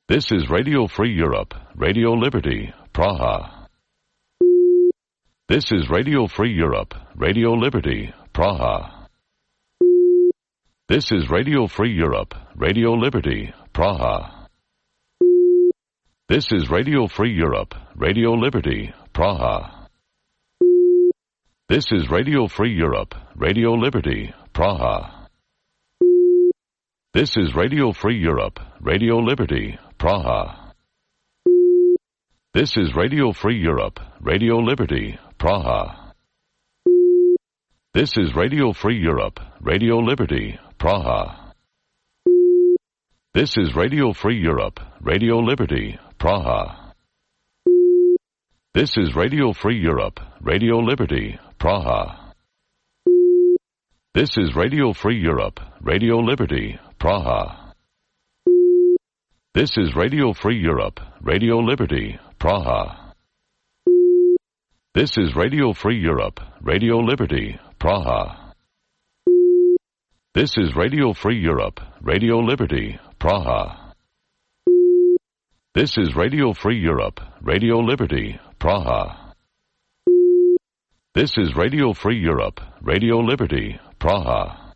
This is Radio Free Europe, Radio Liberty, Praha. This is Radio Free Europe, Radio Liberty, Praha. This is Radio Free Europe, Radio Liberty, Praha. This is Radio Free Europe, Radio Liberty, Praha. This is Radio Free Europe, Radio Liberty, Praha. This is Radio Free Europe, Radio Liberty, Praha. This is Radio Free Europe, Radio Liberty, Praha. This is Radio Free Europe, Radio Liberty, Praha. This is Radio Free Europe, Radio Liberty, Praha. This is Radio Free Europe, Radio Liberty, Praha. This is Radio Free Europe, Radio Liberty, Praha. This is Radio Free Europe, Radio Liberty, Praha. This is Radio Free Europe, Radio Liberty, Praha. This is Radio Free Europe, Radio Liberty, Praha.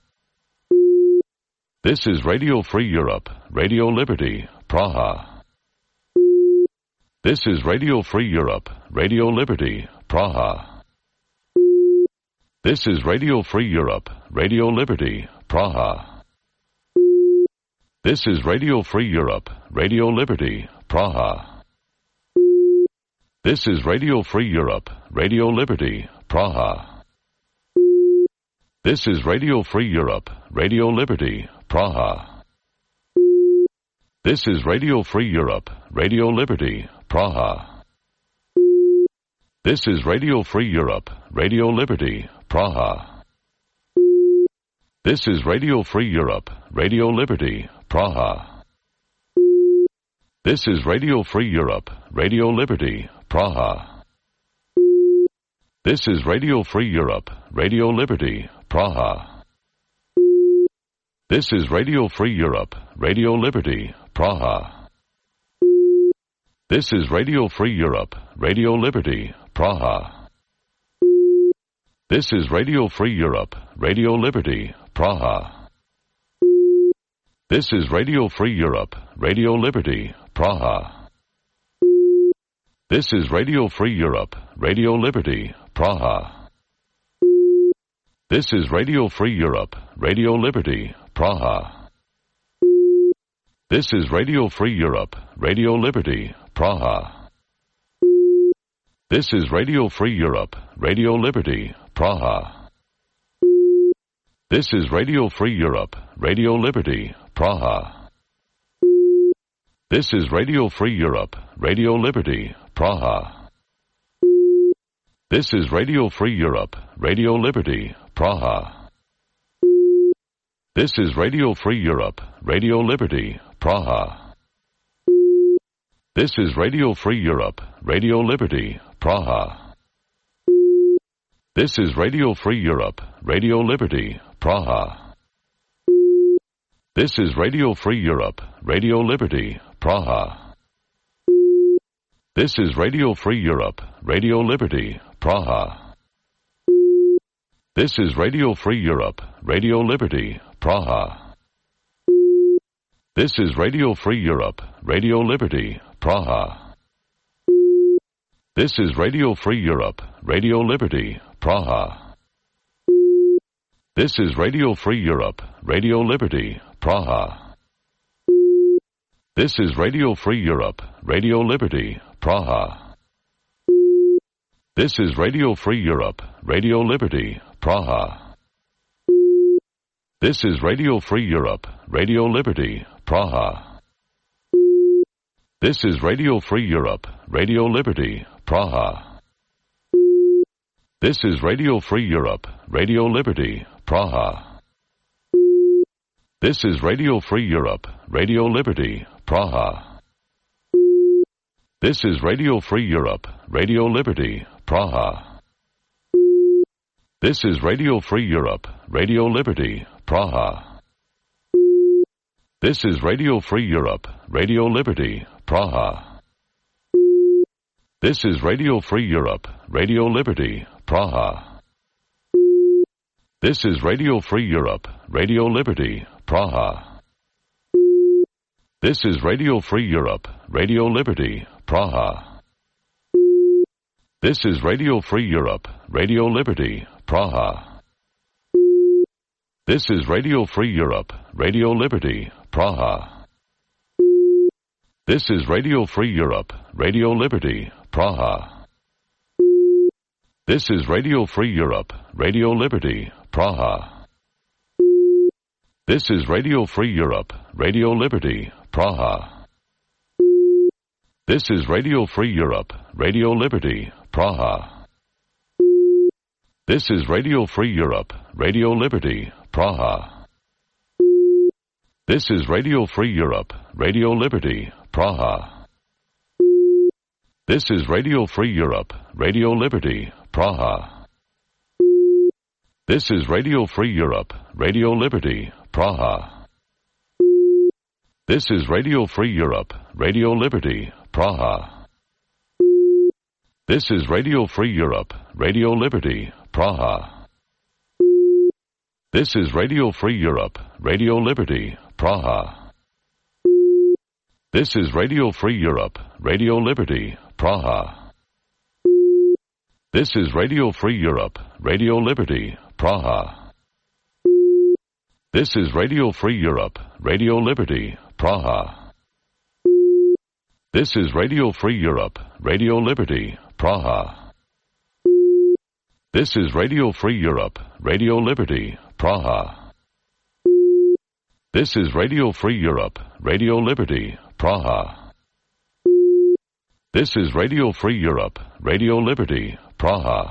This is Radio Free Europe, Radio Liberty, Praha. This is Radio Free Europe, Radio Liberty, Praha. This is Radio Free Europe, Radio Liberty, Praha. This is Radio Free Europe, Radio Liberty, Praha. This is Radio Free Europe, Radio Liberty, Praha. This is Radio Free Europe, Radio Liberty, Praha. This is Radio Free Europe, Radio Liberty, Praha. This is Radio Free Europe, Radio Liberty, Praha. This is Radio Free Europe, Radio Liberty, Praha. This is Radio Free Europe, Radio Liberty, Praha. This is Radio Free Europe, Radio Liberty, Praha. This is Radio Free Europe, Radio Liberty, Praha. This is Radio Free Europe, Radio Liberty, Praha. This is Radio Free Europe, Radio Liberty, Praha. This is Radio Free Europe, Radio Liberty, Praha. This is Radio Free Europe, Radio Liberty, Praha. This is Radio Free Europe, Radio Liberty, Praha. This is Radio Free Europe, Radio Liberty, Praha. This is Radio Free Europe, Radio Liberty, Praha. This is Radio Free Europe, Radio Liberty, Praha. This is Radio Free Europe, Radio Liberty, Praha. This is Radio Free Europe, Radio Liberty, Praha. This is Radio Free Europe, Radio Liberty, Praha. This is Radio Free Europe, Radio Liberty, Praha. This is Radio Free Europe, Radio Liberty, Praha. This is Radio Free Europe, Radio Liberty, Praha. This is Radio Free Europe, Radio Liberty, Praha. This is Radio Free Europe, Radio Liberty, Praha. This is Radio Free Europe, Radio Liberty, Praha. This is Radio Free Europe, Radio Liberty, Praha. This is Radio Free Europe, Radio Liberty, Praha. This is Radio Free Europe, Radio Liberty, Praha. This is Radio Free Europe, Radio Liberty, Praha. This is Radio Free Europe, Radio Liberty, Praha. This is Radio Free Europe, Radio Liberty, Praha. This is Radio Free Europe, Radio Liberty, Praha. This is Radio Free Europe, Radio Liberty, Praha. This is Radio Free Europe, Radio Liberty, Praha. This is Radio Free Europe, Radio Liberty, Praha. This is Radio Free Europe, Radio Liberty, Praha. This is Radio Free Europe, Radio Liberty, Praha. This is Radio Free Europe, Radio Liberty, Praha. This is Radio Free Europe, Radio Liberty, Praha. This is Radio Free Europe, Radio Liberty, Praha. This is Radio Free Europe, Radio Liberty, Praha. This is Radio Free Europe, Radio Liberty, Praha. This is Radio Free Europe, Radio Liberty, Praha. This is Radio Free Europe, Radio Liberty, Praha. This is Radio Free Europe, Radio Liberty, Praha. This is Radio Free Europe, Radio Liberty, Praha. This is Radio Free Europe, Radio Liberty, Praha. This is Radio Free Europe, Radio Liberty, Praha. This is Radio Free Europe, Radio Liberty, Praha. This is Radio Free Europe, Radio Liberty, Praha. This is Radio Free Europe, Radio Liberty, Praha. This is Radio Free Europe, Radio Liberty, Praha. This is Radio Free Europe, Radio Liberty, Praha. This is Radio Free Europe, Radio Liberty, Praha. This is Radio Free Europe, Radio Liberty, Praha. This is Radio Free Europe, Radio Liberty, Praha. This is Radio Free Europe, Radio Liberty, Praha. This is Radio Free Europe, Radio Liberty, Praha. This is Radio Free Europe, Radio Liberty, Praha. This is Radio Free Europe, Radio Liberty, Praha. This is Radio Free Europe, Radio Liberty, Praha.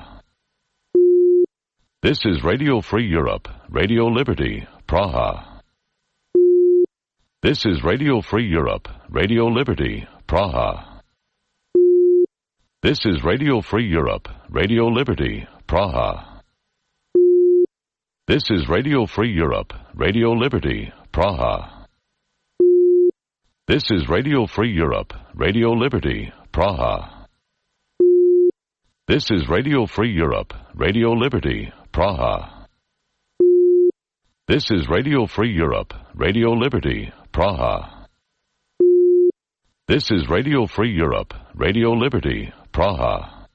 This is Radio Free Europe, Radio Liberty, Praha. This is Radio Free Europe, Radio Liberty, Praha. This is Radio Free Europe, Radio Liberty, Praha. This is Radio Free Europe, Radio Liberty, Praha. This is Radio Free Europe, Radio Liberty, Praha. This is Radio Free Europe, Radio Liberty, Praha. This is Radio Free Europe, Radio Liberty, Praha. This is Radio Free Europe, Radio Liberty, Praha.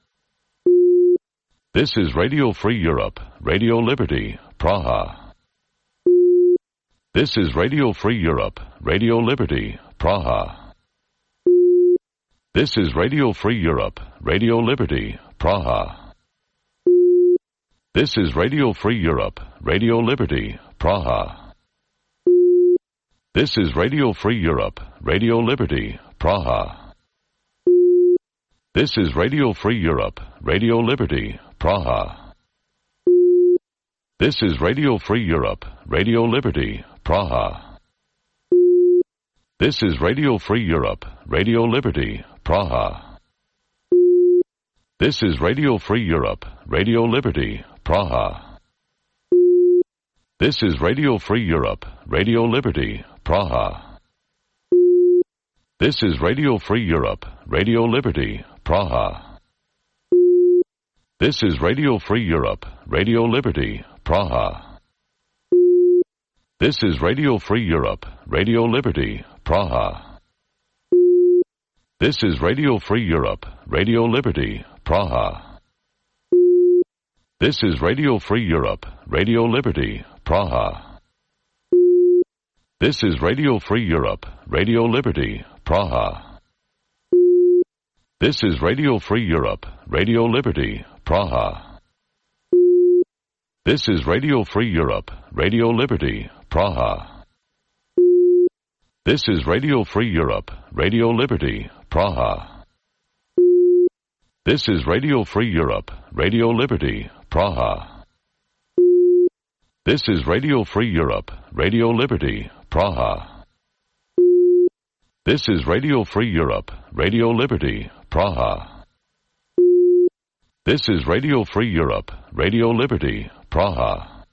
This is Radio Free Europe, Radio Liberty, Praha. This is Radio Free Europe, Radio Liberty, Praha. This is Radio Free Europe, Radio Liberty, Praha. This is Radio Free Europe, Radio Liberty, Praha. This is Radio Free Europe, Radio Liberty, Praha. This is Radio Free Europe, Radio Liberty, Praha. This is Radio Free Europe, Radio Liberty, Praha. This is Radio Free Europe, Radio Liberty, Praha. This is Radio Free Europe, Radio Liberty, Praha. This is Radio Free Europe, Radio Liberty, Praha. This is Radio Free Europe, Radio Liberty, Praha. This is Radio Free Europe, Radio Liberty, Praha. This is Radio Free Europe, Radio Liberty, Praha. This is Radio Free Europe, Radio Liberty, Praha. This is Radio Free Europe, Radio Liberty, Praha. This is Radio Free Europe, Radio Liberty, Praha. This is Radio Free Europe, Radio Liberty, Praha. This is Radio Free Europe, Radio Liberty, Praha. This is Radio Free Europe, Radio Liberty, Praha. This is Radio Free Europe, Radio Liberty, Praha. This is Radio Free Europe, Radio Liberty, Praha. This is Radio Free Europe, Radio Liberty, Praha. This is Radio Free Europe, Radio Liberty, Praha.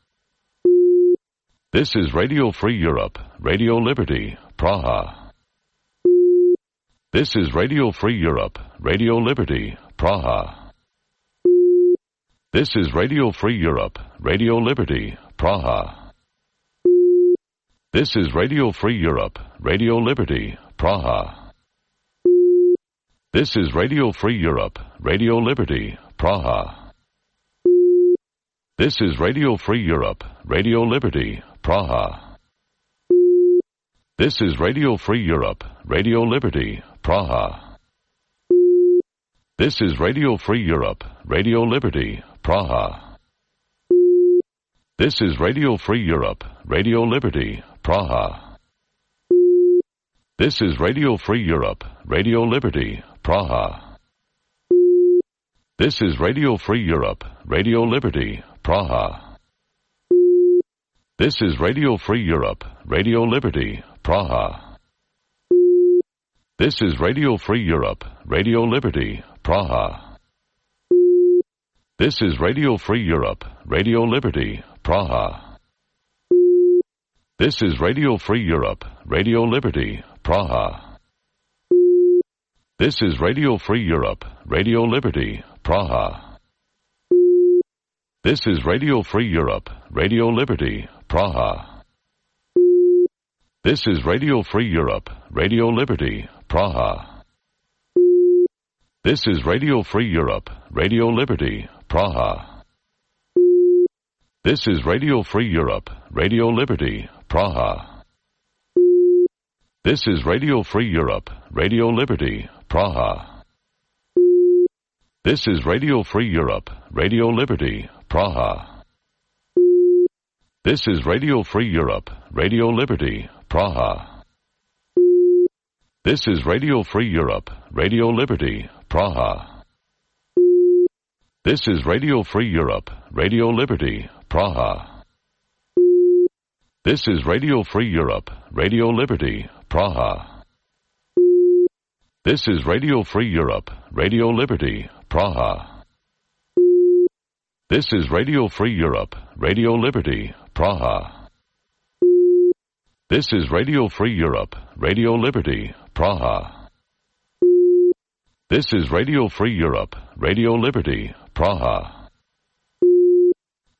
This is Radio Free Europe, Radio Liberty, Praha. This is Radio Free Europe, Radio Liberty, Praha. This is Radio Free Europe, Radio Liberty, Praha. This is Radio Free Europe, Radio Liberty, Praha. This is Radio Free Europe, Radio Liberty, Praha. This is Radio Free Europe, Radio Liberty, Praha. This is Radio Free Europe, Radio Liberty, Praha. This is Radio Free Europe, Radio Liberty, Praha. This is Radio Free Europe, Radio Liberty, Praha. This is Radio Free Europe, Radio Liberty, Praha. This is Radio Free Europe, Radio Liberty, Praha. This is Radio Free Europe, Radio Liberty, Praha. This is Radio Free Europe, Radio Liberty, Praha. This is Radio Free Europe, Radio Liberty, Praha. This is Radio Free Europe, Radio Liberty, Praha. This is Radio Free Europe, Radio Liberty, Praha. This is Radio Free Europe, Radio Liberty, Praha. This is Radio Free Europe, Radio Liberty, Praha. This is Radio Free Europe, Radio Liberty, Praha. This is Radio Free Europe, Radio Liberty, Praha. This is Radio Free Europe, Radio Liberty, Praha. This is Radio Free Europe, Radio Liberty, Praha. This is Radio Free Europe, Radio Liberty, Praha. This is Radio Free Europe, Radio Liberty, Praha. This is Radio Free Europe, Radio Liberty, Praha. This is Radio Free Europe, Radio Liberty, Praha. This is Radio Free Europe, Radio Liberty, Praha. This is Radio Free Europe, Radio Liberty, Praha. This is Radio Free Europe, Radio Liberty, Praha. This is Radio Free Europe, Radio Liberty, Praha.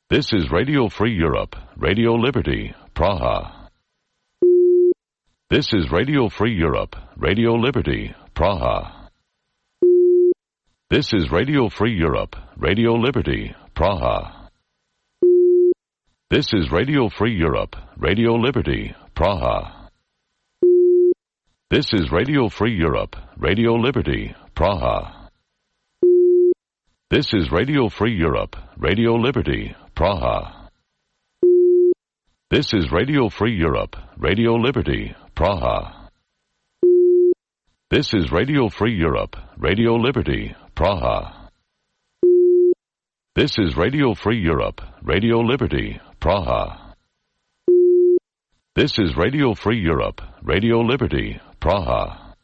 This is Radio Free Europe, Radio Liberty, Praha. This is Radio Free Europe, Radio Liberty, Praha. This is Radio Free Europe, Radio Liberty, Praha. This is Radio Free Europe, Radio Liberty, Praha. This is Radio Free Europe, Radio Liberty, Praha. This is Radio Free Europe, Radio Liberty, Praha. This is Radio Free Europe, Radio Liberty, Praha. This is Radio Free Europe, Radio Liberty, Praha. This is Radio Free Europe, Radio Liberty, Praha. This is Radio Free Europe, Radio Liberty, Praha.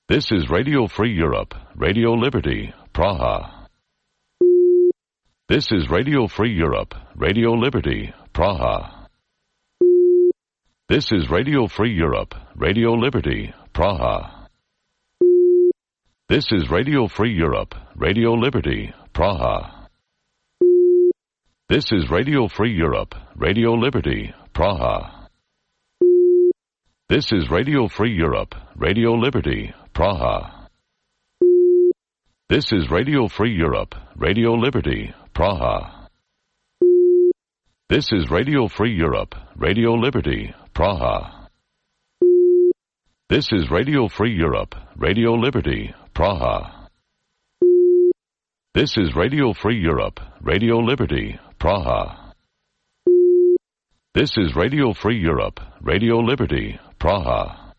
This is Radio Free Europe, Radio Liberty, Praha. This is Radio Free Europe, Radio Liberty, Praha. This is Radio Free Europe, Radio Liberty, Praha. This is Radio Free Europe, Radio Liberty, Praha. This is Radio Free Europe, Radio Liberty, Praha. This is Radio Free Europe, Radio Liberty, Praha. This is Radio Free Europe, Radio Liberty, Praha. This is Radio Free Europe, Radio Liberty, Praha. This is Radio Free Europe, Radio Liberty, Praha. This is Radio Free Europe, Radio Liberty, Praha. This is Radio Free Europe, Radio Liberty, Praha.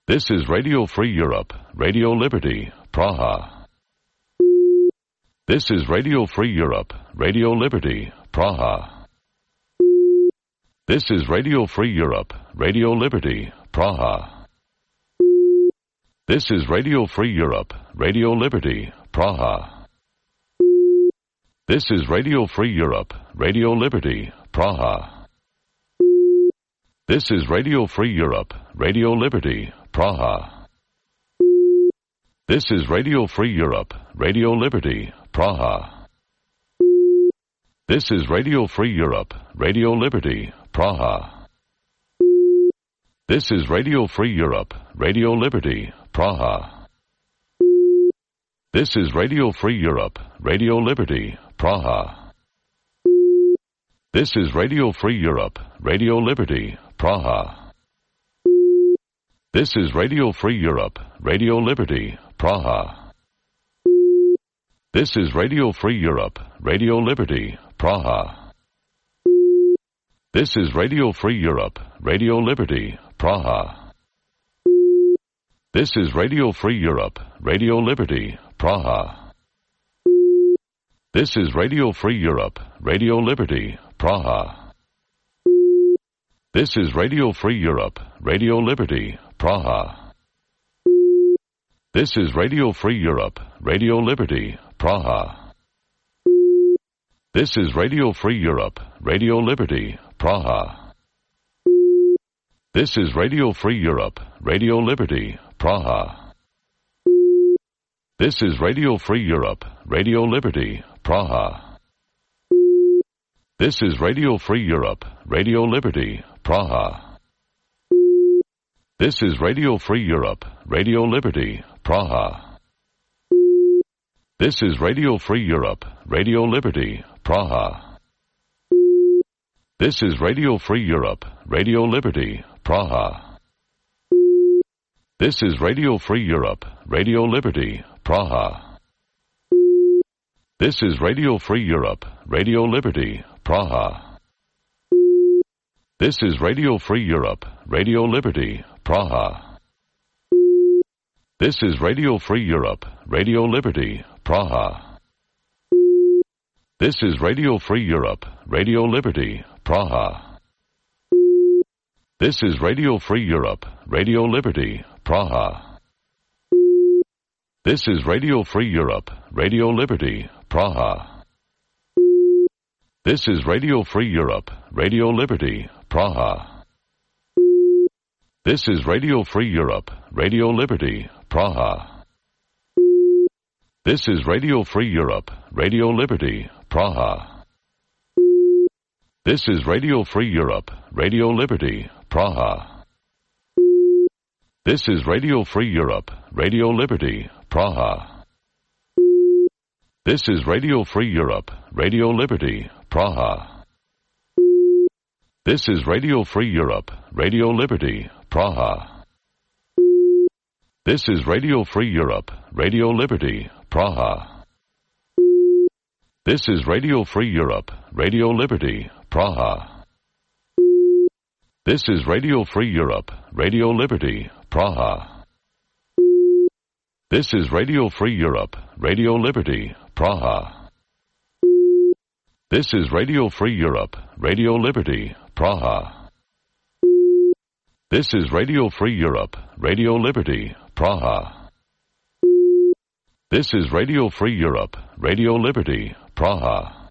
This is Radio Free Europe, Radio Liberty, Praha. This is Radio Free Europe, Radio Liberty, Praha. This is Radio Free Europe, Radio Liberty, Praha. This is Radio Free Europe, Radio Liberty, Praha. This is Radio Free Europe, Radio Liberty, Praha. This is Radio Free Europe, Radio Liberty, Praha. This is Radio Free Europe, Radio Liberty, Praha. This is Radio Free Europe, Radio Liberty, Praha. This is Radio Free Europe, Radio Liberty, Praha. This is Radio Free Europe, Radio Liberty, Praha. This is Radio Free Europe, Radio Liberty, Praha. This is Radio Free Europe, Radio Liberty, Praha. This is Radio Free Europe, Radio Liberty, Praha. This is Radio Free Europe, Radio Liberty, Praha. This is Radio Free Europe, Radio Liberty, Praha. This is Radio Free Europe, Radio Liberty, Praha. This is Radio Free Europe, Radio Liberty, Praha. This is Radio Free Europe, Radio Liberty, Praha. This is Radio Free Europe, Radio Liberty, Praha. This is Radio Free Europe, Radio Liberty, Praha. This is Radio Free Europe, Radio Liberty, Praha. This is Radio Free Europe, Radio Liberty, Praha. This is Radio Free Europe, Radio Liberty, Praha. This is Radio Free Europe, Radio Liberty, Praha. This is Radio Free Europe, Radio Liberty, Praha. This is Radio Free Europe, Radio Liberty, Praha. This is Radio Free Europe, Radio Liberty, Praha. This is Radio Free Europe, Radio Liberty, Praha. This is Radio Free Europe, Radio Liberty, Praha. This is Radio Free Europe, Radio Liberty, Praha. This is Radio Free Europe, Radio Liberty, Praha. This is Radio Free Europe, Radio Liberty, Praha. This is Radio Free Europe, Radio Liberty, Praha. This is Radio Free Europe, Radio Liberty, Praha. This is Radio Free Europe, Radio Liberty, Praha. This is Radio Free Europe, Radio Liberty, Praha. This is Radio Free Europe, Radio Liberty, Praha. This is Radio Free Europe, Radio Liberty, Praha. This is Radio Free Europe, Radio Liberty, Praha. This is Radio Free Europe, Radio Liberty, Praha. This is Radio Free Europe, Radio Liberty, Praha. This is Radio Free Europe, Radio Liberty, Praha. This is Radio Free Europe, Radio Liberty, Praha. This is Radio Free Europe, Radio Liberty, Praha. This is Radio Free Europe, Radio Liberty, Praha. This is Radio Free Europe, Radio Liberty, Praha.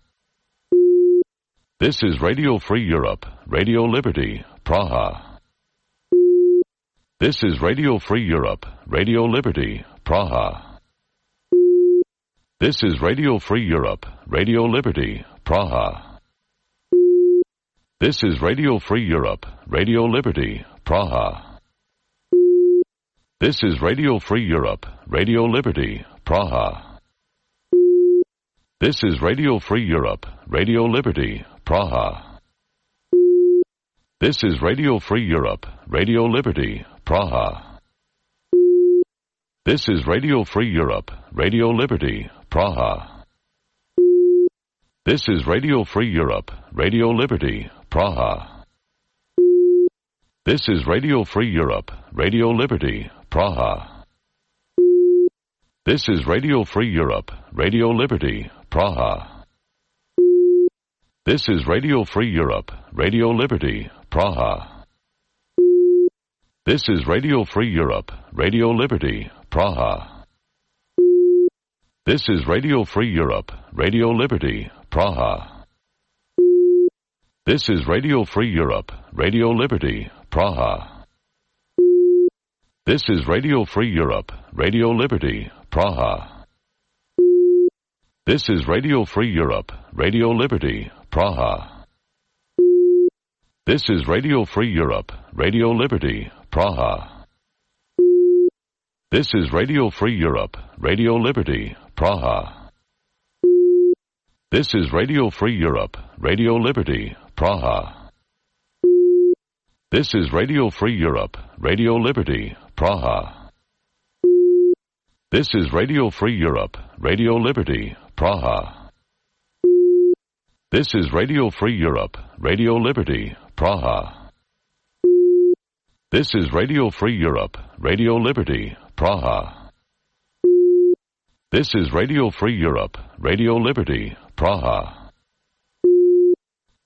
This is Radio Free Europe, Radio Liberty, Praha. This is Radio Free Europe, Radio Liberty, Praha. This is Radio Free Europe, Radio Liberty, Praha. This is Radio Free Europe, Radio Liberty, Praha. This is Radio Free Europe, Radio Liberty, Praha. This is Radio Free Europe, Radio Liberty, Praha. This is Radio Free Europe, Radio Liberty, Praha. This is Radio Free Europe, Radio Liberty, Praha. This is Radio Free Europe, Radio Liberty, Praha. This is Radio Free Europe, Radio Liberty, Praha. This is Radio Free Europe, Radio Liberty, Praha. This is Radio Free Europe, Radio Liberty, Praha. This is Radio Free Europe, Radio Liberty, Praha. This is Radio Free Europe, Radio Liberty, Praha. This is Radio Free Europe, Radio Liberty, Praha. This is Radio Free Europe, Radio Liberty, Praha. This is Radio Free Europe, Radio Liberty, Praha. This is Radio Free Europe, Radio Liberty, Praha. This is Radio Free Europe, Radio Liberty, Praha. This is Radio Free Europe, Radio Liberty, Praha. This is Radio Free Europe, Radio Liberty, Praha. This is Radio Free Europe, Radio Liberty, Praha. This is Radio Free Europe, Radio Liberty, Praha. This is Radio Free Europe, Radio Liberty, Praha. This is Radio Free Europe, Radio Liberty, Praha.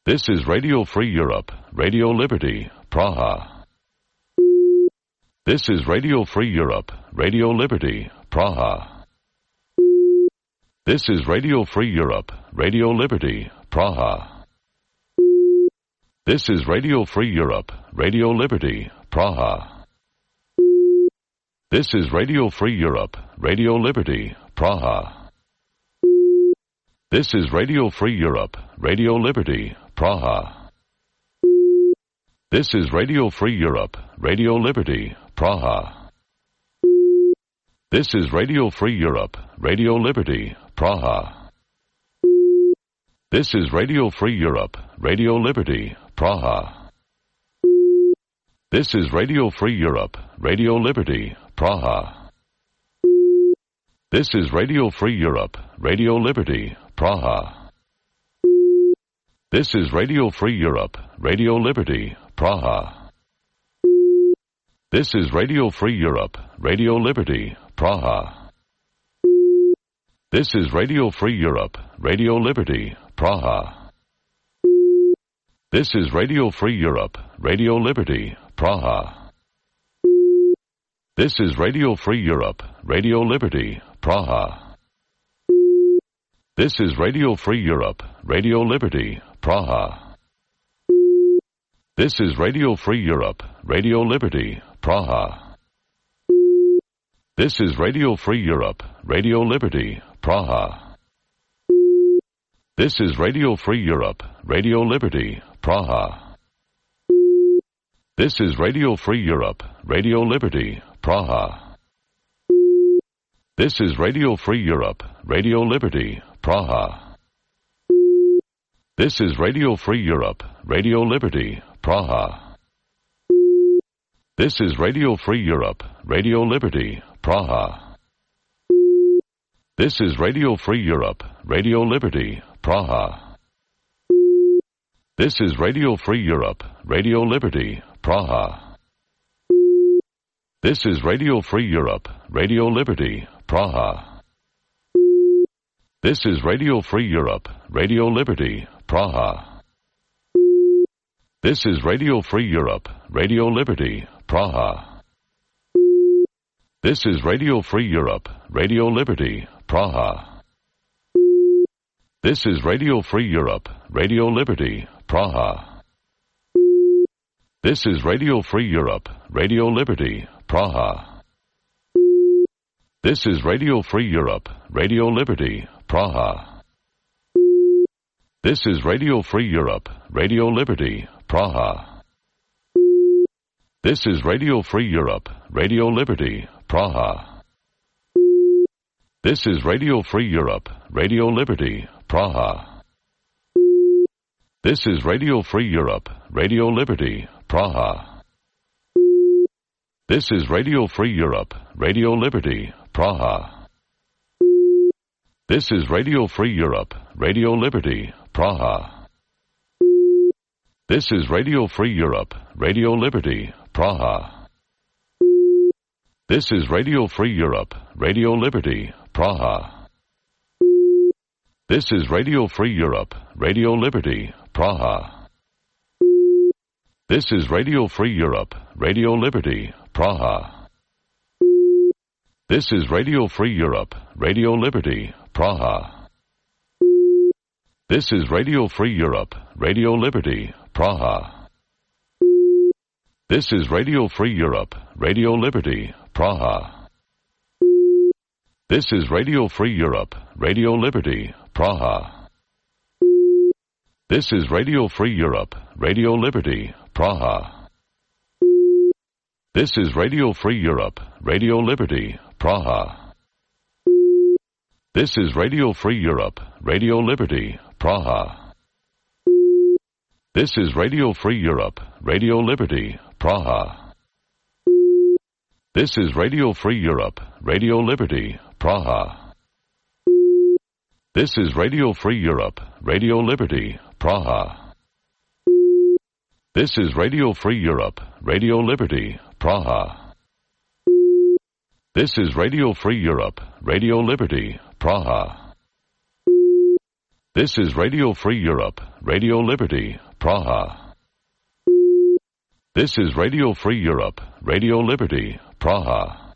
This is Radio Free Europe, Radio Liberty, Praha. This is Radio Free Europe, Radio Liberty, Praha. This is Radio Free Europe, Radio Liberty, Praha. This is Radio Free Europe, Radio Liberty, Praha. This is Radio Free Europe, Radio Liberty, Praha. This is Radio Free Europe, Radio Liberty, Praha. This is Radio Free Europe, Radio Liberty, Praha. This is Radio Free Europe, Radio Liberty, Praha. This is Radio Free Europe, Radio Liberty, Praha. This is Radio Free Europe, Radio Liberty, Praha. This is Radio Free Europe, Radio Liberty, Praha. This is Radio Free Europe, Radio Liberty, Praha. This is Radio Free Europe, Radio Liberty, Praha. This is Radio Free Europe, Radio Liberty, Praha. This is Radio Free Europe, Radio Liberty, Praha. This is Radio Free Europe, Radio Liberty, Praha. This is Radio Free Europe, Radio Liberty, Praha. This is Radio Free Europe, Radio Liberty, Praha. This is Radio Free Europe, Radio Liberty, Praha. This is Radio Free Europe, Radio Liberty, Praha. This is Radio Free Europe, Radio Liberty, Praha. This is Radio Free Europe, Radio Liberty, Praha. This is Radio Free Europe, Radio Liberty, Praha. This is Radio Free Europe, Radio Liberty, Praha. This is Radio Free Europe, Radio Liberty, Praha. This is Radio Free Europe, Radio Liberty, Praha. This is Radio Free Europe, Radio Liberty, Praha. This is Radio Free Europe, Radio Liberty, Praha. This is Radio Free Europe, Radio Liberty, Praha. This is Radio Free Europe, Radio Liberty, Praha. This is Radio Free Europe, Radio Liberty, Praha. This is Radio Free Europe, Radio Liberty, Praha. This is Radio Free Europe, Radio Liberty, Praha. This is Radio Free Europe, Radio Liberty, Praha. This is Radio Free Europe, Radio Liberty, Praha. This is Radio Free Europe, Radio Liberty, Praha. This is Radio Free Europe, Radio Liberty, Praha. This is Radio Free Europe, Radio Liberty, Praha. This is Radio Free Europe, Radio Liberty, Praha. This is Radio Free Europe, Radio Liberty, Praha. This is Radio Free Europe, Radio Liberty, Praha. This is Radio Free Europe, Radio Liberty, Praha. This is Radio Free Europe, Radio Liberty, Praha. This is Radio Free Europe, Radio Liberty, Praha. This is Radio Free Europe, Radio Liberty, Praha. This is Radio Free Europe, Radio Liberty, Praha. This is Radio Free Europe, Radio Liberty, Praha. This is Radio Free Europe, Radio Liberty, Praha. This is Radio Free Europe, Radio Liberty, Praha. This is Radio Free Europe, Radio Liberty, Praha. This is Radio Free Europe, Radio Liberty, Praha. This is Radio Free Europe, Radio Liberty, Praha. This is Radio Free Europe, Radio Liberty, Praha. This is Radio Free Europe, Radio Liberty, Praha. This is Radio Free Europe, Radio Liberty, Praha. This is Radio Free Europe, Radio Liberty, Praha. This is Radio Free Europe, Radio Liberty, Praha.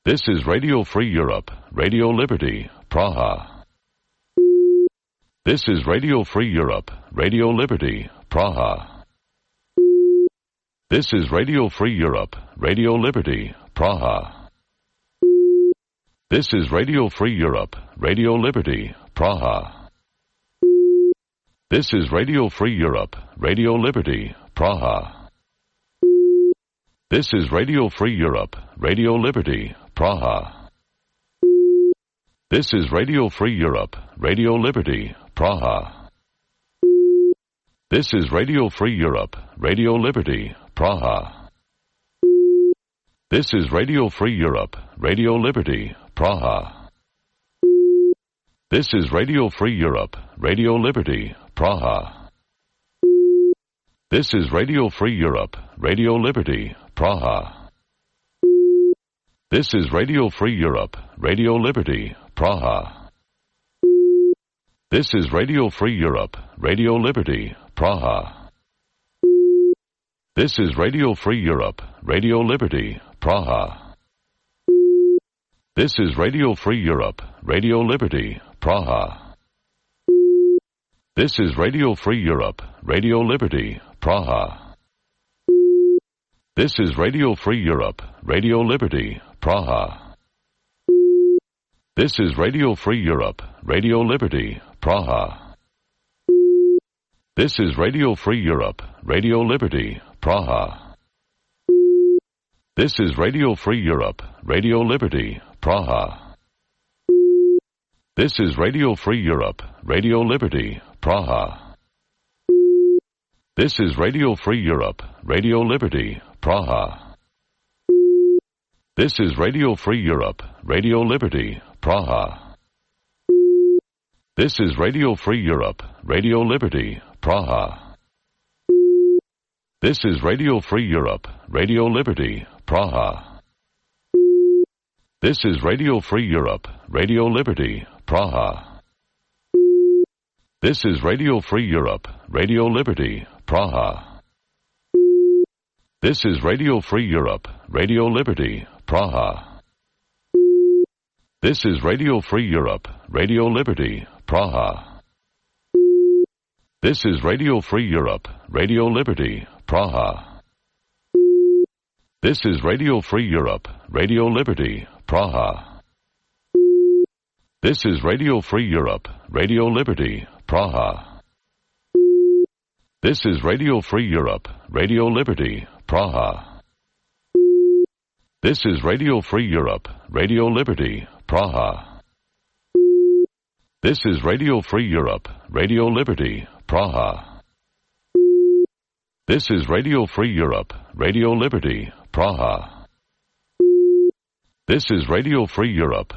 This is Radio Free Europe, Radio Liberty, Praha. This is Radio Free Europe, Radio Liberty, Praha. This is Radio Free Europe, Radio Liberty, Praha. This is Radio Free Europe, Radio Liberty, Praha. This is Radio Free Europe, Radio Liberty, Praha. This is Radio Free Europe, Radio Liberty, Praha. This is Radio Free Europe, Radio Liberty, Praha. This is Radio Free Europe, Radio Liberty, Praha. This is Radio Free Europe, Radio Liberty, Praha. This is Radio Free Europe, Radio Liberty, Praha. This is Radio Free Europe, Radio Liberty, Praha. This is Radio Free Europe, Radio Liberty, Praha. This is Radio Free Europe, Radio Liberty, Praha. This is Radio Free Europe, Radio Liberty, Praha. This is Radio Free Europe, Radio Liberty, Praha. This is Radio Free Europe, Radio Liberty, Praha. This is Radio Free Europe, Radio Liberty, Praha. This is Radio Free Europe, Radio Liberty, Praha. This is Radio Free Europe, Radio Liberty, Praha. This is Radio Free Europe, Radio Liberty, Praha. This is Radio Free Europe, Radio Liberty, Praha. This is Radio Free Europe, Radio Liberty, Praha. This is Radio Free Europe, Radio Liberty, Praha. This is Radio Free Europe, Radio Liberty, Praha. This is Radio Free Europe, Radio Liberty, Praha. This is Radio Free Europe, Radio Liberty, Praha. This is Radio Free Europe, Radio Liberty, Praha. This is Radio Free Europe, Radio Liberty, Praha. This is Radio Free Europe, Radio Liberty, Praha. This is Radio Free Europe, Radio Liberty, Praha. This is Radio Free Europe, Radio Liberty, Praha. This is Radio Free Europe, Radio Liberty, Praha. This is Radio Free Europe, Radio Liberty, Praha. This is Radio Free Europe, Radio Liberty, Praha. This is Radio Free Europe, Radio Liberty, Praha. This is Radio Free Europe, Radio Liberty, Praha. This is Radio Free Europe,